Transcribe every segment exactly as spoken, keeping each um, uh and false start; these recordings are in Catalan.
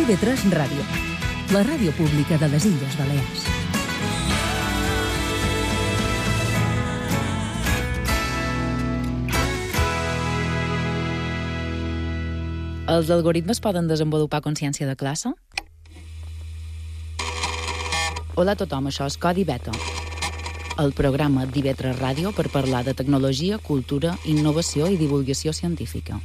T V tres Ràdio, la ràdio pública de les Illes Balears. Els algoritmes poden desenvolupar consciència de classe? Hola a tothom, això és Codi Beta, el programa d'I V tres Ràdio per parlar de tecnologia, cultura, innovació i divulgació científica.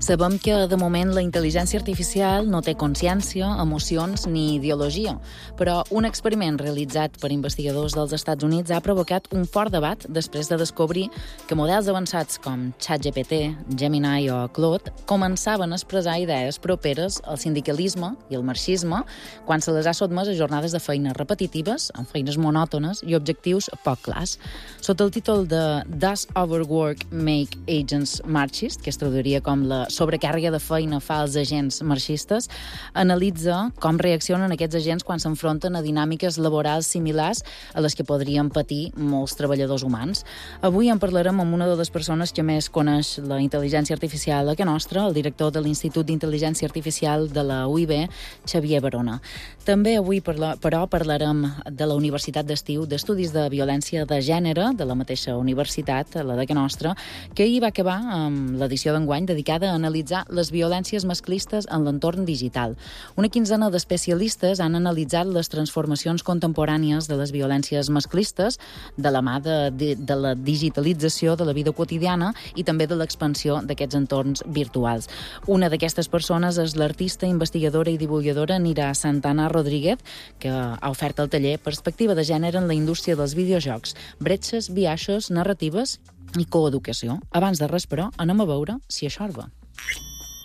Sabem que, de moment, la intel·ligència artificial no té consciència, emocions ni ideologia, però un experiment realitzat per investigadors dels Estats Units ha provocat un fort debat després de descobrir que models avançats com ChatGPT, Gemini o Claude començaven a expressar idees properes al sindicalisme i al marxisme quan se les ha sotmès a jornades de feines repetitives, amb feines monòtones i objectius poc clars. Sota el títol de Does Overwork Make Agents Marxist, que es traduiria com la sobrecàrrega de feina fa als agents marxistes, analitza com reaccionen aquests agents quan s'enfronten a dinàmiques laborals similars a les que podrien patir molts treballadors humans. Avui en parlarem amb una de les persones que més coneix la intel·ligència artificial a que nostra, el director de l'Institut d'Intel·ligència Artificial de la U I B, Xavier Barona. També avui, però, parlarem de la Universitat d'Estiu d'Estudis de Violència de Gènere, de la mateixa universitat, la de que nostra, que ahir va acabar amb l'edició d'enguany dedicada a analitzar les violències masclistes en l'entorn digital. Una quinzena d'especialistes han analitzat les transformacions contemporànies de les violències masclistes de la mà de, de, de la digitalització de la vida quotidiana i també de l'expansió d'aquests entorns virtuals. Una d'aquestes persones és l'artista, investigadora i divulgadora Nira Santana Rodríguez, que ha ofert el taller Perspectiva de gènere en la indústria dels videojocs, bretxes, biaixos, narratives i coeducació. Abans de res, però, anem a veure si això va.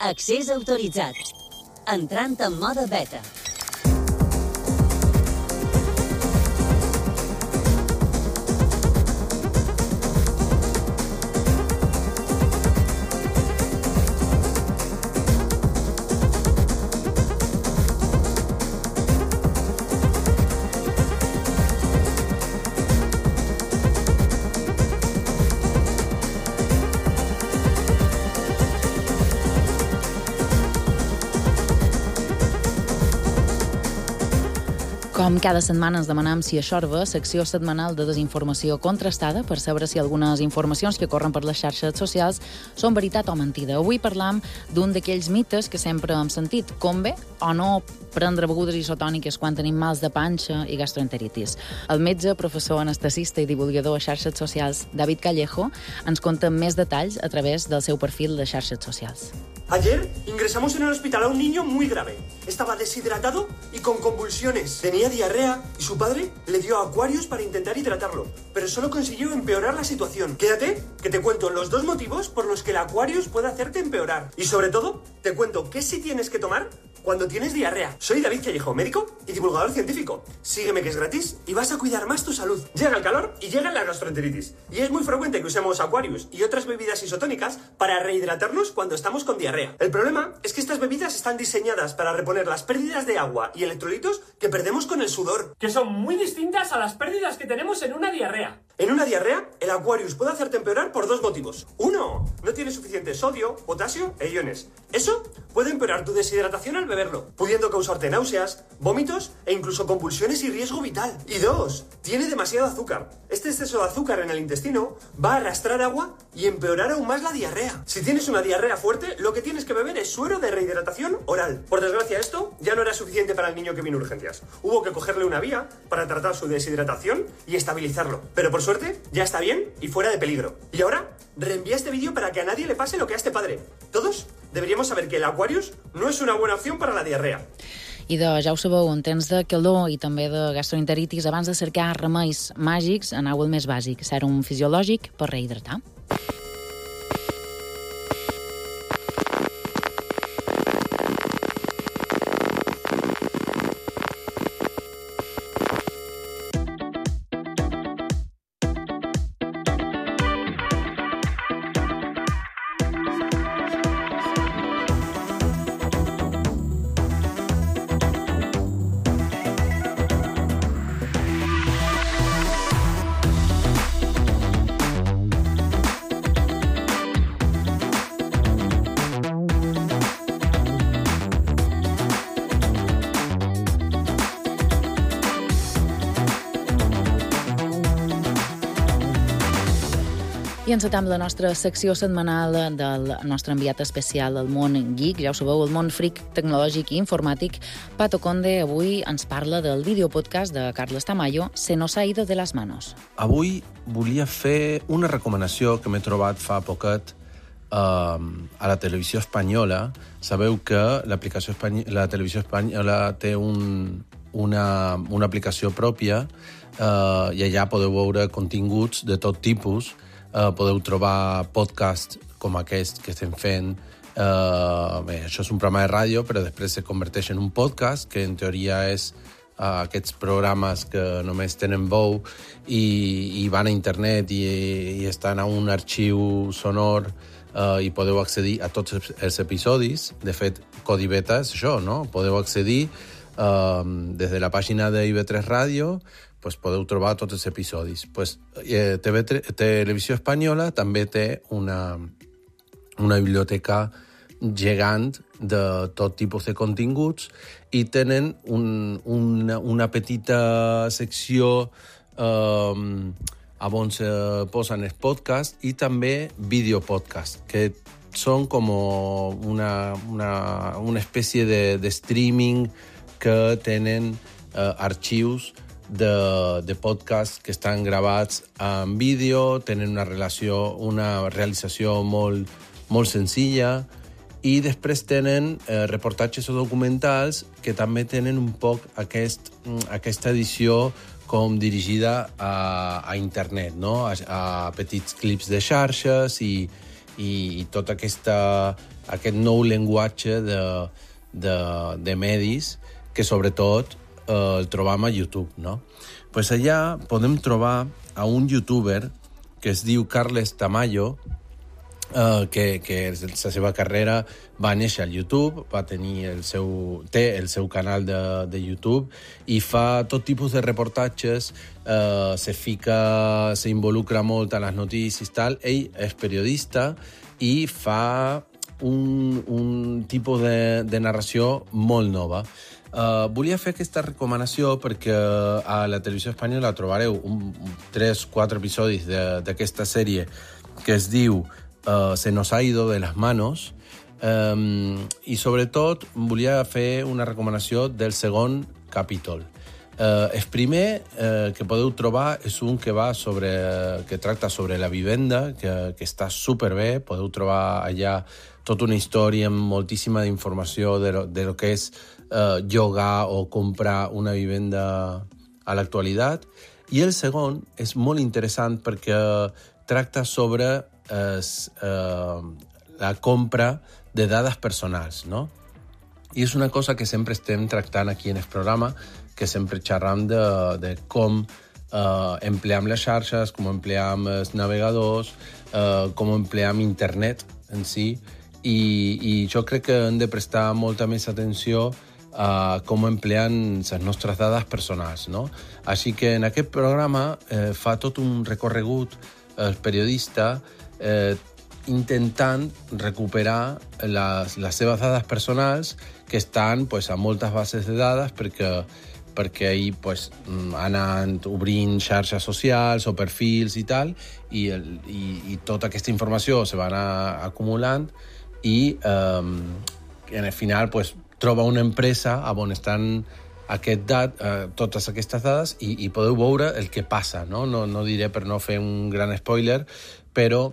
Accés autoritzat. Entrant en mode beta. Com cada setmana ens demanem si això va, secció setmanal de desinformació contrastada per saber si algunes informacions que corren per les xarxes socials són veritat o mentida. Avui parlam d'un d'aquells mites que sempre hem sentit, com bé o no prendre begudes isotòniques quan tenim mals de panxa i gastroenteritis. El metge, professor, anestesista i divulgador a xarxes socials, David Callejo, ens conta més detalls a través del seu perfil de xarxes socials. Ayer ingresamos en el hospital a un niño muy grave. Estaba deshidratado y con convulsiones. Tenía diarrea y su padre le dio Aquarius para intentar hidratarlo, pero solo consiguió empeorar la situación. Quédate, que te cuento los dos motivos por los que el Aquarius puede hacerte empeorar. Y sobre todo, te cuento qué sí tienes que tomar cuando tienes diarrea. Soy David Callejo, médico y divulgador científico. Sígueme, que es gratis y vas a cuidar más tu salud. Llega el calor y llega la gastroenteritis. Y es muy frecuente que usemos Aquarius y otras bebidas isotónicas para rehidratarnos cuando estamos con diarrea. El problema es que estas bebidas están diseñadas para reponer las pérdidas de agua y electrolitos que perdemos con el sudor, que son muy distintas a las pérdidas que tenemos en una diarrea. En una diarrea, el Aquarius puede hacerte empeorar por dos motivos. Uno, no tiene suficiente sodio, potasio e iones. Eso puede empeorar tu deshidratación al beberlo, pudiendo causarte náuseas, vómitos e incluso convulsiones y riesgo vital. Y dos, tiene demasiado azúcar. Este exceso de azúcar en el intestino va a arrastrar agua y empeorar aún más la diarrea. Si tienes una diarrea fuerte, lo que tienes que beber es suero de rehidratación oral. Por desgracia, esto ya no era suficiente para el niño que vino a urgencias. Hubo que cogerle una vía para tratar su deshidratación y estabilizarlo. Pero por suerte, ya está bien y fuera de peligro. Y ahora, reenvía este vídeo para que a nadie le pase lo que a este padre. Todos deberíamos saber que el Aquarius no es una buena opción para la diarrea. I de, ja ho sabeu, en temps de calor i també de gastroenteritis, abans de cercar remeis màgics, aneu el més bàsic, sèrum fisiològic per rehidratar. I encetam la nostra secció setmanal del nostre enviat especial al món geek, ja ho sabeu, el món fric tecnològic i informàtic. Pato Conde avui ens parla del videopodcast de Carles Tamayo, Se nos ha ido de las manos. Avui volia fer una recomanació que m'he trobat fa poquet eh, a la televisió espanyola. Sabeu que l'aplicació espany... la televisió espanyola té un, una, una aplicació pròpia eh, i allà podeu veure continguts de tot tipus. Uh, podeu trobar podcasts com aquest que estem fent. Uh, bé, això és un programa de ràdio, però després se converteix en un podcast, que en teoria és uh, aquests programes que només tenen veu i, i van a internet i, i estan a un arxiu sonor uh, i podeu accedir a tots els episodis. De fet, Codi Beta és això, no? Podeu accedir uh, des de la pàgina de I V tres Ràdio, pues podeu trobar tots els episodis. Pues, eh, T V tres, Televisió Espanyola també té una, una biblioteca gegant de tot tipus de continguts i tenen un, una, una petita secció eh, on se posen els podcasts i també videopodcasts, que són com una, una, una espècie de, de streaming que tenen eh, arxius de, de podcasts que estan gravats en vídeo, tenen una relació, una realització molt, molt senzilla i després tenen eh, reportatges o documentals que també tenen un poc aquest, aquesta edició com dirigida a, a internet, no? a, a petits clips de xarxes i, i, i tot aquesta, aquest nou llenguatge de, de, de medis que sobretot eh, el trobam a YouTube, no? Pues allà podem trobar a un youtuber que es diu Carles Tamayo, eh, que, que la seva carrera va néixer al YouTube, va tenir el seu, té el seu canal de, de YouTube i fa tot tipus de reportatges, eh, se fica, se involucra molt a les notícies i tal. Ell és periodista i fa un, un tipus de, de narració molt nova. Uh, volia fer aquesta recomanació perquè a la televisió espanyola trobareu un, un, tres o quatre episodis d'aquesta sèrie que es diu uh, Se nos ha ido de las manos, um, i sobretot volia fer una recomanació del segon capítol. Uh, el primer uh, que podeu trobar és un que va sobre, que tracta sobre la vivenda, que, que està superbé. Podeu trobar allà tota una història amb moltíssima informació de lo, de lo que és Uh, llogar o comprar una vivenda a l'actualitat. I el segon és molt interessant perquè tracta sobre uh, uh, la compra de dades personals, no? I és una cosa que sempre estem tractant aquí en el programa, que sempre xerram de, de com uh, empleam les xarxes, com empleam els navegadors, uh, com empleam internet en si, i, i jo crec que hem de prestar molta més atenció a com emplean les nostres dades personals, no? Així que en aquest programa eh, fa tot un recorregut el periodista eh, intentant recuperar les, les seves dades personals que estan pues, a moltes bases de dades perquè, perquè ell pues, ha anat obrint xarxes socials o perfils i tal, i, el, i, i tota aquesta informació se va anar acumulant i eh, en el final pues, troba una empresa on estan aquest dat, eh, totes aquestes dades i, i podeu veure el que passa, no? No, no diré per no fer un gran spoiler, però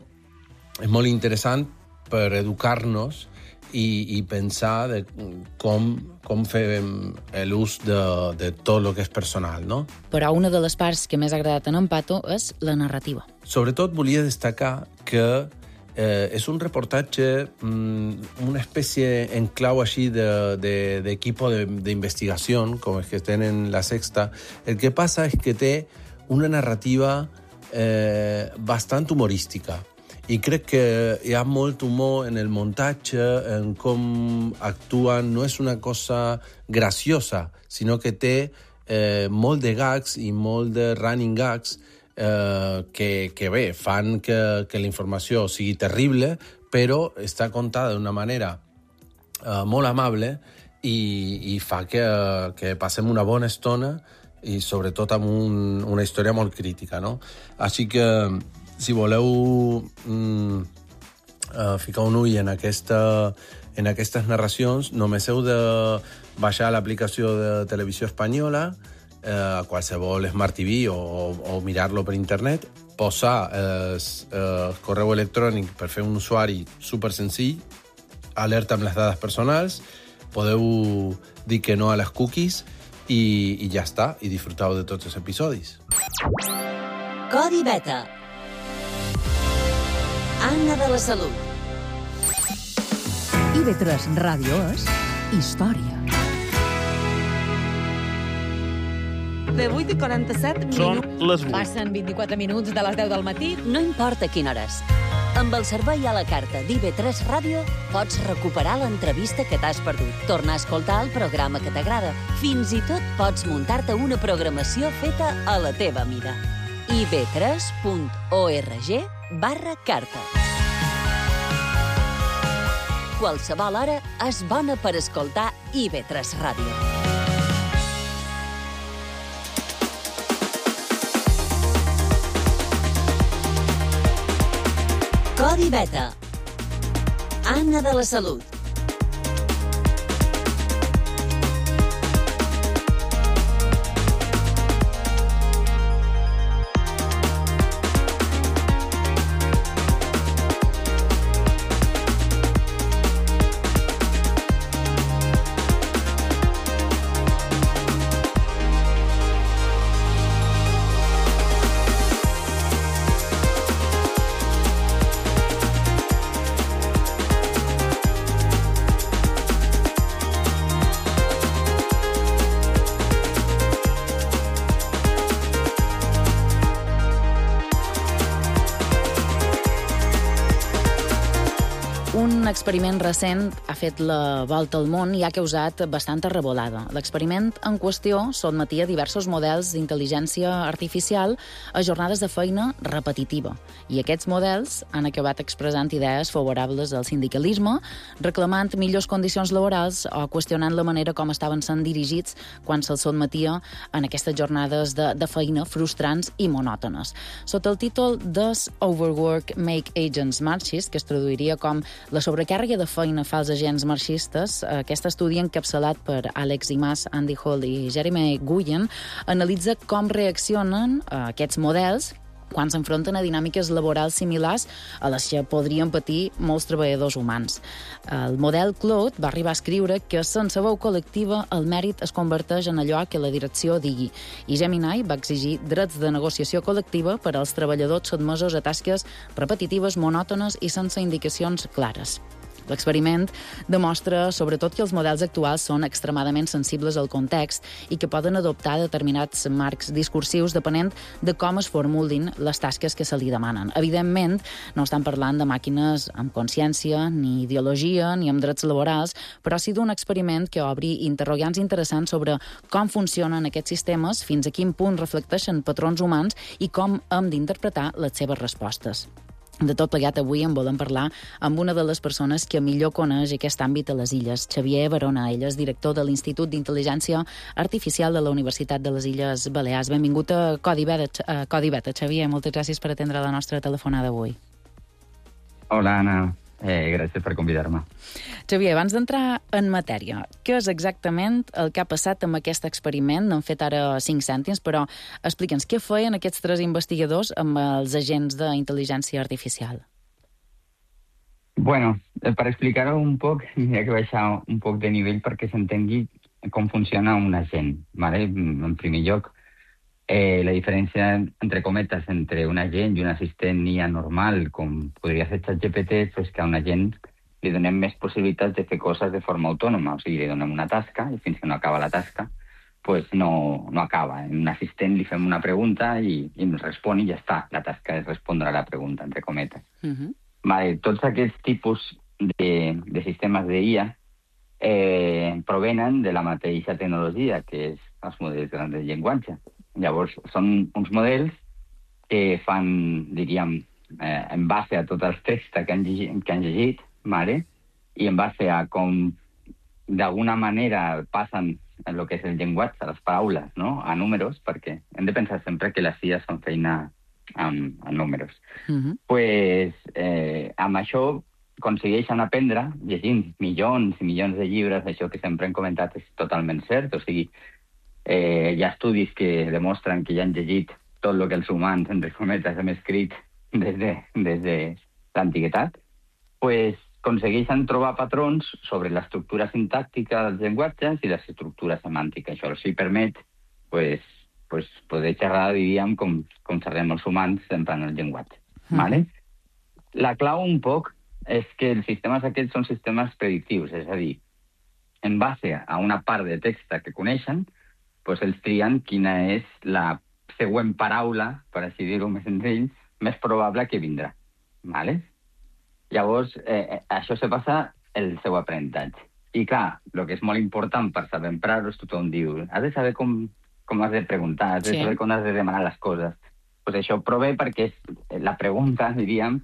és molt interessant per educar-nos i, i pensar de com, com fem l'ús de, de tot el que és personal, no? Però una de les parts que més ha agradat en Pato és la narrativa. Sobretot volia destacar que eh, és un reportatge, mm, una espècie en clau així d'equipo de, de, d'investigació, com els que tenen la Sexta. El que passa és que té una narrativa eh, bastant humorística. I crec que hi ha molt humor en el muntatge, en com actuen. No és una cosa graciosa, sinó que té eh, molt de gags i molt de running gags eh, que, que bé, fan que, que la informació sigui terrible, però està contada d'una manera eh, molt amable i, i fa que, que passem una bona estona i sobretot amb un, una història molt crítica, no? Així que si voleu mm, uh, ficar un ull en, aquesta, en aquestes narracions, només heu de baixar l'aplicació de Televisió Espanyola, uh, a qualsevol Smart T V o, o, o mirar-lo per internet, posar el uh, correu electrònic per fer un usuari super senzill, alerta amb les dades personals, podeu dir que no a les cookies i, i ja està, i disfrutau de tots els episodis. Codi Beta. Anna de la Salut. I ve tres Ràdio és història. De vuit i quaranta-set Són minuts. les vuit. Passen vint-i-quatre minuts de les deu del matí. No importa quina hora és. Amb el servei a la carta d'I V tres Ràdio pots recuperar l'entrevista que t'has perdut, tornar a escoltar el programa que t'agrada. Fins i tot pots muntar-te una programació feta a la teva mida. i v tres punt org barra carta. Qualsevol hora és bona per escoltar I V tres Ràdio. Codi Beta. Anna de la Salut. Un experiment recent ha fet la volta al món i ha causat bastanta revolada. L'experiment en qüestió sotmetia diversos models d'intel·ligència artificial a jornades de feina repetitiva. I aquests models han acabat expressant idees favorables al sindicalisme, reclamant millors condicions laborals o qüestionant la manera com estaven sent dirigits quan se'ls sotmetia en aquestes jornades de, de feina frustrants i monòtones. Sota el títol Does Overwork Make Agents Marxist, que es traduiria com la sobrecàrrega de feina fa els agents marxistes, aquest estudi encapçalat per Alex Imaz, Andy Hall i Jeremy Guyen analitza com reaccionen aquests models quan s'enfronten a dinàmiques laborals similars a les que podrien patir molts treballadors humans. El model Claude va arribar a escriure que sense veu col·lectiva el mèrit es converteix en allò que la direcció digui, i Gemini va exigir drets de negociació col·lectiva per als treballadors sotmesos a tasques repetitives, monòtones i sense indicacions clares. L'experiment demostra, sobretot, que els models actuals són extremadament sensibles al context i que poden adoptar determinats marcs discursius depenent de com es formulin les tasques que se li demanen. Evidentment, no estan parlant de màquines amb consciència, ni ideologia, ni amb drets laborals, però sí d'un experiment que obri interrogants interessants sobre com funcionen aquests sistemes, fins a quin punt reflecteixen patrons humans i com hem d'interpretar les seves respostes. De tot plegat, avui en volem parlar amb una de les persones que millor coneix aquest àmbit a les Illes, Xavier Barona. Ell és director de l'Institut d'Intel·ligència Artificial de la Universitat de les Illes Balears. Benvingut a Codi Beta, a Codi Beta. Xavier, moltes gràcies per atendre la nostra telefonada d'avui. Hola, Anna. Eh, gràcies per convidar-me. Xavier, abans d'entrar en matèria, què és exactament el que ha passat amb aquest experiment? N'han fet ara cinc cèntims, però explica'ns, què feien aquests tres investigadors amb els agents d'intel·ligència artificial? Bueno, eh, per explicar-ho un poc, hi ha que baixar un poc de nivell perquè s'entengui com funciona un agent. ¿Vale? En primer lloc, eh, la diferència, entre cometes, entre un agent i un assistent I A normal, com podria ser ChatGPT, és que a un agent li donem més possibilitats de fer coses de forma autònoma. O sigui, li donem una tasca i fins que no acaba la tasca, pues no, no acaba. En un assistent li fem una pregunta i, i ens respon i ja està. La tasca és respondre a la pregunta, entre cometes. Uh-huh. Vale, tots aquests tipus de, de sistemes de I A eh, provenen de la mateixa tecnologia, que és els models grans de llenguatge. Llavors, són uns models que fan, diríem, eh, en base a tots els textos que han llegit, que han llegit vale? I en base a com d'alguna manera passen en el que és el llenguatge, les paraules, no? A números, perquè hem de pensar sempre que les I A són feina amb, amb números. Uh-huh. Pues, eh, amb això aconsegueixen aprendre, llegint milions i milions de llibres, això que sempre hem comentat és totalment cert, o sigui, eh, hi ha estudis que demostren que ja han llegit tot el que els humans, entre cometes, hem escrit des de, des de l'antiguitat, pues, aconsegueixen trobar patrons sobre l'estructura sintàctica dels llenguatges i l'estructura semàntica. Això els permet pues, pues, poder xerrar, diríem, com, com xerrem els humans emprant el llenguatge. Mm. Vale? La clau un poc és que els sistemes aquests són sistemes predictius, és a dir, en base a una part de text que coneixen, pues, ells trien quina és la següent paraula, per així dir-ho més senzill, més probable que vindrà. Vale? Llavors, eh, això se passa el seu aprenentatge. I clar, el que és molt important per saber emprar-ho és tothom diu, has de saber com, com has de preguntar, has de Sí. saber com has de demanar les coses. Pues això prové perquè és, la pregunta, diríem,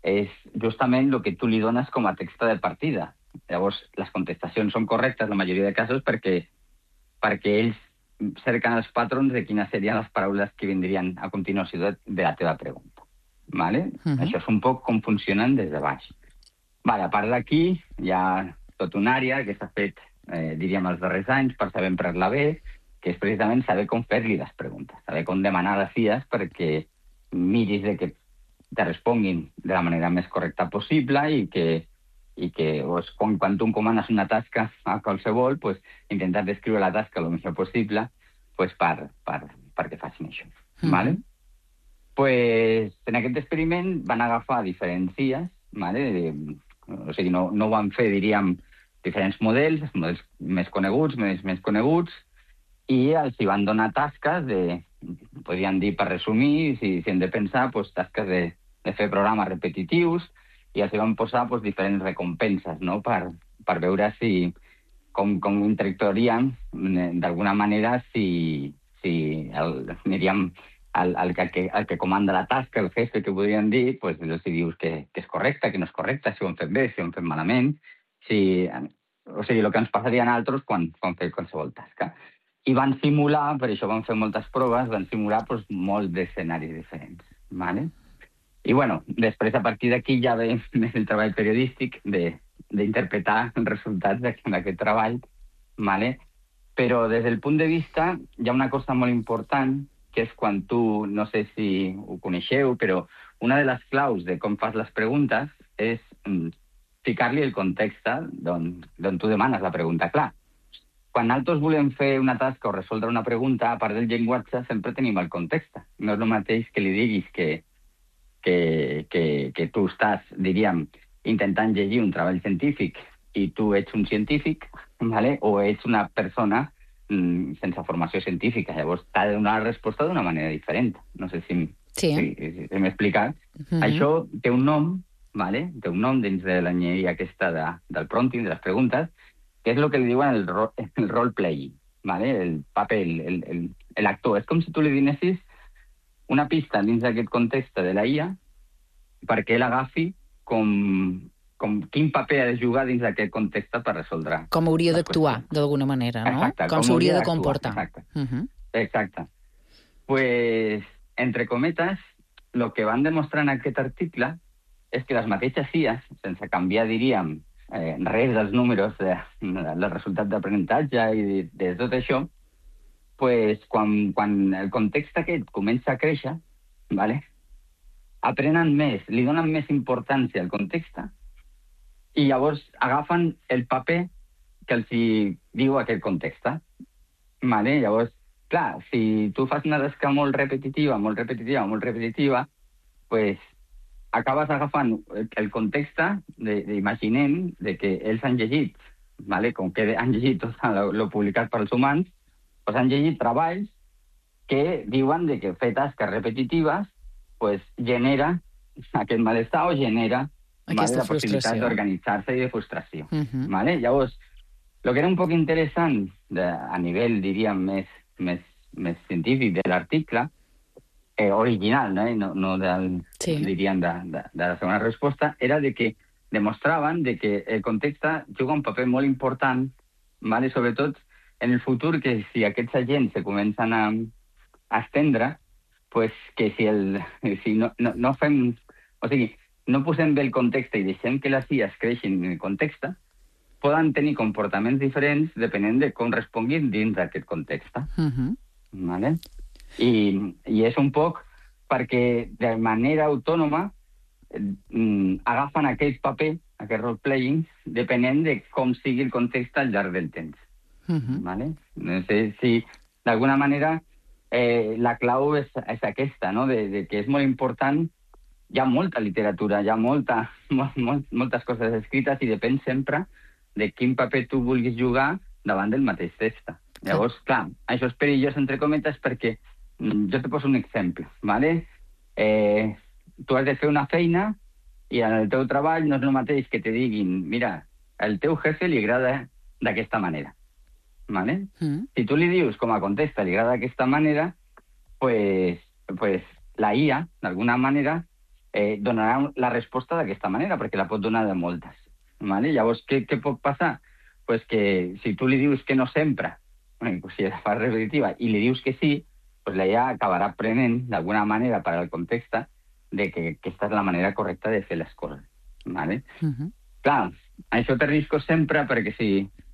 és justament el que tu li dones com a text de partida. Llavors, les contestacions són correctes, la majoria de casos, perquè, perquè ells cerquen els patrons de quines serien les paraules que vindrien a continuació de, de la teva pregunta. Vale? Uh-huh. Això és un poc com funcionen des de baix. Vale, a part d'aquí, hi ha tota una àrea que s'ha fet, eh, diríem, els darrers anys per saber emprar-la bé, que és precisament saber com fer-li les preguntes, saber com demanar les I As perquè miris de que te responguin de la manera més correcta possible i que, i que pues, quan, quan tu encomanes una tasca a qualsevol, pues, intentar descriure la tasca el millor possible pues, per, per, perquè facin això. Uh-huh. Vale? Pues, en aquest experiment van agafar diferents I As, vale? O sigui, no, no ho van fer, diríem, diferents models, models més coneguts, més, més coneguts, i els hi van donar tasques de, podríem dir, per resumir, si, si hem de pensar, pues, tasques de, de fer programes repetitius, i els hi van posar pues, diferents recompenses, no?, per, per veure si, com, com interactuaríem d'alguna manera si, si el, diríem, el, el, que, el que comanda la tasca, el jefe, que podríem dir, pues, si dius que, que és correcte, que no és correcte, si ho hem fet bé, si ho hem fet malament, si, o sigui, el que ens passaria a altres quan, quan fem qualsevol tasca. I van simular, per això van fer moltes proves, van simular pues, molts d'escenaris diferents. Vale? I bueno, després a partir d'aquí ja ve el treball periodístic d'interpretar els resultats d'aquest treball, vale? Però des del punt de vista hi ha una cosa molt important, que és quan tu, no sé si ho coneixeu, però una de les claus de com fas les preguntes és mm, ficar-li el context d'on tu demanes la pregunta. Clar, quan nosaltres volem fer una tasca o resoldre una pregunta, a part del llenguatge, sempre tenim el context. No és el mateix que li diguis que, que, que, que tu estàs, diríem, intentant llegir un treball científic i tu ets un científic, ¿vale? O ets una persona mm, sense formació científica. Llavors t'ha de donar la resposta d'una manera diferent. No sé si, sí. si, si, si m'he explicat. Mm-hmm. Això té un nom, ¿vale? Té un nom dins de l'enginyeria aquesta de, del prompting, de les preguntes, que és el que li diuen el, ro el role-playing, ¿vale? El paper, el, el, el actor. És com si tu li donessis una pista dins d'aquest context de la I A perquè ell agafi com, com quin paper ha de jugar dins d'aquest context per resoldre. Com hauria d'actuar, d'alguna manera, no? Exacte, com com s'hauria hauria de comportar. Exacte. Uh-huh. Exacte. Pues, entre cometes, el que van demostrar en aquest article és que les mateixes I As, sense canviar, diríem, eh, res dels números de, del resultat d'aprenentatge i de, de tot això, pues, quan, quan el context aquest comença a créixer, ¿vale? Aprenen més, li donen més importància al context i llavors agafen el paper que els hi diu aquest context. Vale? Llavors, clar, si tu fas una tasca molt repetitiva, molt repetitiva, molt repetitiva, pues acabes agafant el context, de, de, imaginem de que ells han llegit, vale? Com que han llegit tot el publicat pels humans, pues han llegit treballs que diuen de que fer tasques repetitives pues, genera aquest malestar o genera vale, la possibilitat d'organitzar-se i de frustració. Uh-huh. Vale? Llavors, el que era un poc interessant de, a nivell, diríem, més, més, més científic de l'article, eh, original, no, no, no del, sí. diríem, de, de, de la segona resposta, era de que demostraven de que el context juga un paper molt important, vale? Sobretot en el futur, que si aquests agents se comencen a, a estendre, pues que si, el, si no, no, no fem... O sigui, no posem bé el context i deixem que les I As creixin en el context, poden tenir comportaments diferents depenent de com responguin dins d'aquest context. Uh-huh. Vale? I, I és un poc perquè de manera autònoma eh, agafen aquest paper, aquest role-playing, depenent de com sigui el context al llarg del temps. Uh-huh. Vale? No sé si, d'alguna manera, eh, la clau és, és aquesta, no? de, de que és molt important. Hi ha molta literatura, hi ha molta, molt, molt, moltes coses escrites i depèn sempre de quin paper tu vulguis jugar davant del mateix text. Llavors, clar, això és perillós, entre cometes, perquè jo te poso un exemple, ¿vale? Eh, tu has de fer una feina i en el teu treball no és el mateix que te diguin, mira, el teu jefe li agrada d'aquesta manera, ¿vale? Mm. Si tu li dius com a contesta li agrada d'aquesta manera, pues, pues la I A, d'alguna manera, eh, donarà la resposta d'aquesta manera, perquè la pot donar de moltes. Vale? Llavors, què, què pot passar? Pues que si tu li dius que no sempre, bueno, pues si la fas repetitiva, i li dius que sí, pues la I A acabarà aprenent, d'alguna manera, per al context, de que aquesta és la manera correcta de fer les coses. Vale? Uh-huh. Clar, això té riscos sempre, perquè si,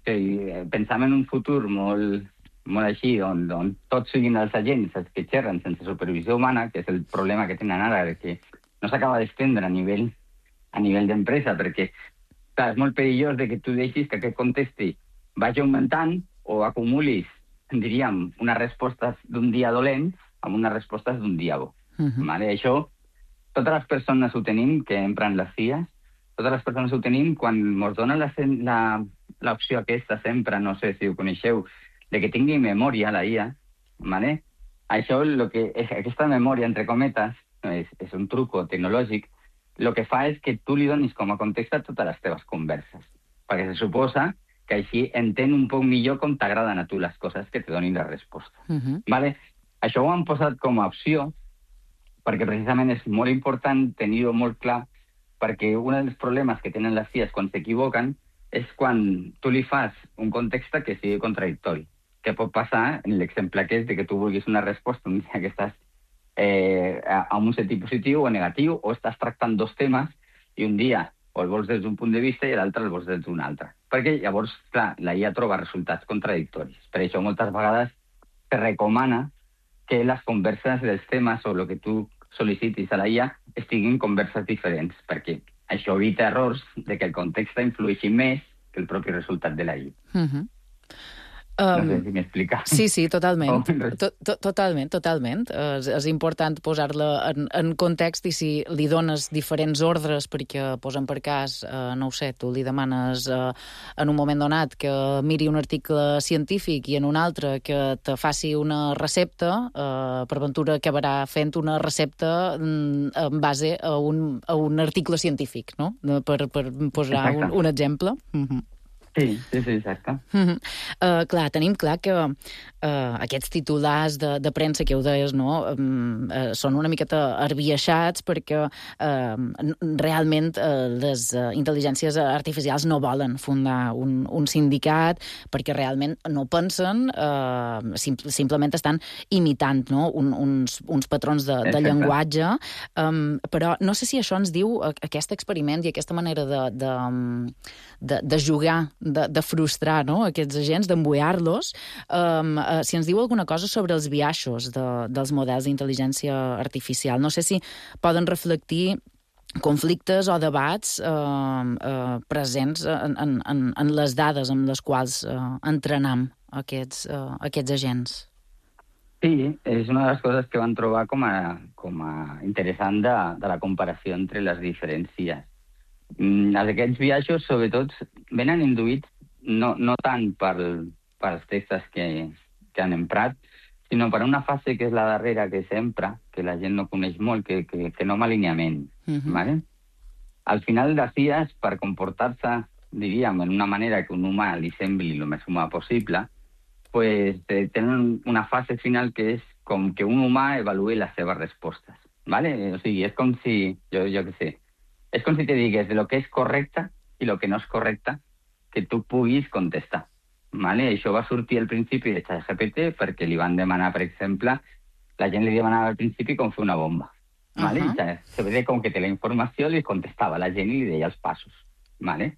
si pensam en un futur molt, molt així, on, on tots siguin els agents els que xerren sense supervisió humana, que és el problema que tenen ara, que no s'acaba d'estendre a nivell, a nivell d'empresa, perquè clar, és molt perillós de que tu deixis que aquest context vagi augmentant o acumulis, diríem, unes respostes d'un dia dolent amb unes respostes d'un dia bo. Uh-huh. Vale? Això, totes les persones ho tenim, que empren les I As, totes les persones ho tenim quan ens donen l'opció aquesta sempre, no sé si ho coneixeu, de que tingui memòria la I A, vale? Això, lo que és, aquesta memòria, entre cometes, és, és un truco tecnològic, el que fa és que tu li donis com a context a totes les teves converses. Perquè se suposa que així entén un poc millor com t'agraden a tu les coses que te donin la resposta. Uh-huh. Vale? Això ho han posat com a opció perquè precisament és molt important tenir-ho molt clar, perquè un dels problemes que tenen les I As quan s'equivoquen és quan tu li fas un context que sigui contradictori. Què pot passar en l'exemple aquest de que tu vulguis una resposta un dia que estàs Eh, amb un sentit positiu o negatiu, o estàs tractant dos temes i un dia o el vols des d'un punt de vista i l'altre el vols des d'un altre. Perquè llavors, clar, la I A troba resultats contradictoris. Per això moltes vegades se recomana que les converses dels temes o el que tu sol·licitis a la I A estiguin converses diferents, perquè això evita errors de que el context influeixi més que el propi resultat de la I A. Uh-huh. Um, no sé si m'explica. Sí, sí, totalment. To, to, totalment, totalment. És, és important posar-la en, en context i si li dones diferents ordres perquè, posen per cas, eh, no ho sé, tu li demanes eh, en un moment donat que miri un article científic i en un altre que te faci una recepta, eh, per ventura acabarà fent una recepta mm, en base a un, a un article científic, no? Per, per posar un, un exemple. Mm-hmm. Sí, sí, sí, exacte. Mm-hmm. Uh, clar, tenim clar que uh, aquests titulars de, de premsa que ho deies, no, um, uh, són una miqueta arbiaixats perquè uh, realment uh, les uh, intel·ligències artificials no volen fundar un, un sindicat perquè realment no pensen, uh, sim simplement estan imitant, no, un, uns, uns patrons de, de llenguatge, um, però no sé si això ens diu aquest experiment i aquesta manera de, de, de, de jugar, De, de frustrar, no?, aquests agents, d'embuiar-los, um, uh, si ens diu alguna cosa sobre els biaixos de, dels models d'intel·ligència artificial. No sé si poden reflectir conflictes o debats eh, eh, presents en, en, en, en les dades amb les quals eh, entrenam aquests, eh, aquests agents. Sí, és una de les coses que van trobar com a, com a interessant de, de la comparació entre les diferències. Mm, aquests viatges, sobretot, venen induïts no, no tant per, per els textos que, que han emprat, sinó per una fase que és la darrera que s'empra, que la gent no coneix molt, que, que, que no alineament. Uh-huh. ¿Vale? Al final dels dies, per comportar-se, diríem, en una manera que un humà li sembli el més humà possible, pues tenen una fase final que és com que un humà evaluï les seves respostes. ¿Vale? O sigui, és com si, jo, jo què sé, és com si te digués de lo que és correcte i lo que no és correcte que tu puguis contestar. ¿Vale? Això va sortir al principi de ChatGPT perquè li van demanar, per exemple, la gent li demanava al principi com fer una bomba. ¿Vale? Uh-huh. I se ve com que té la informació, li contestava la gent i li deia els passos. ¿Vale?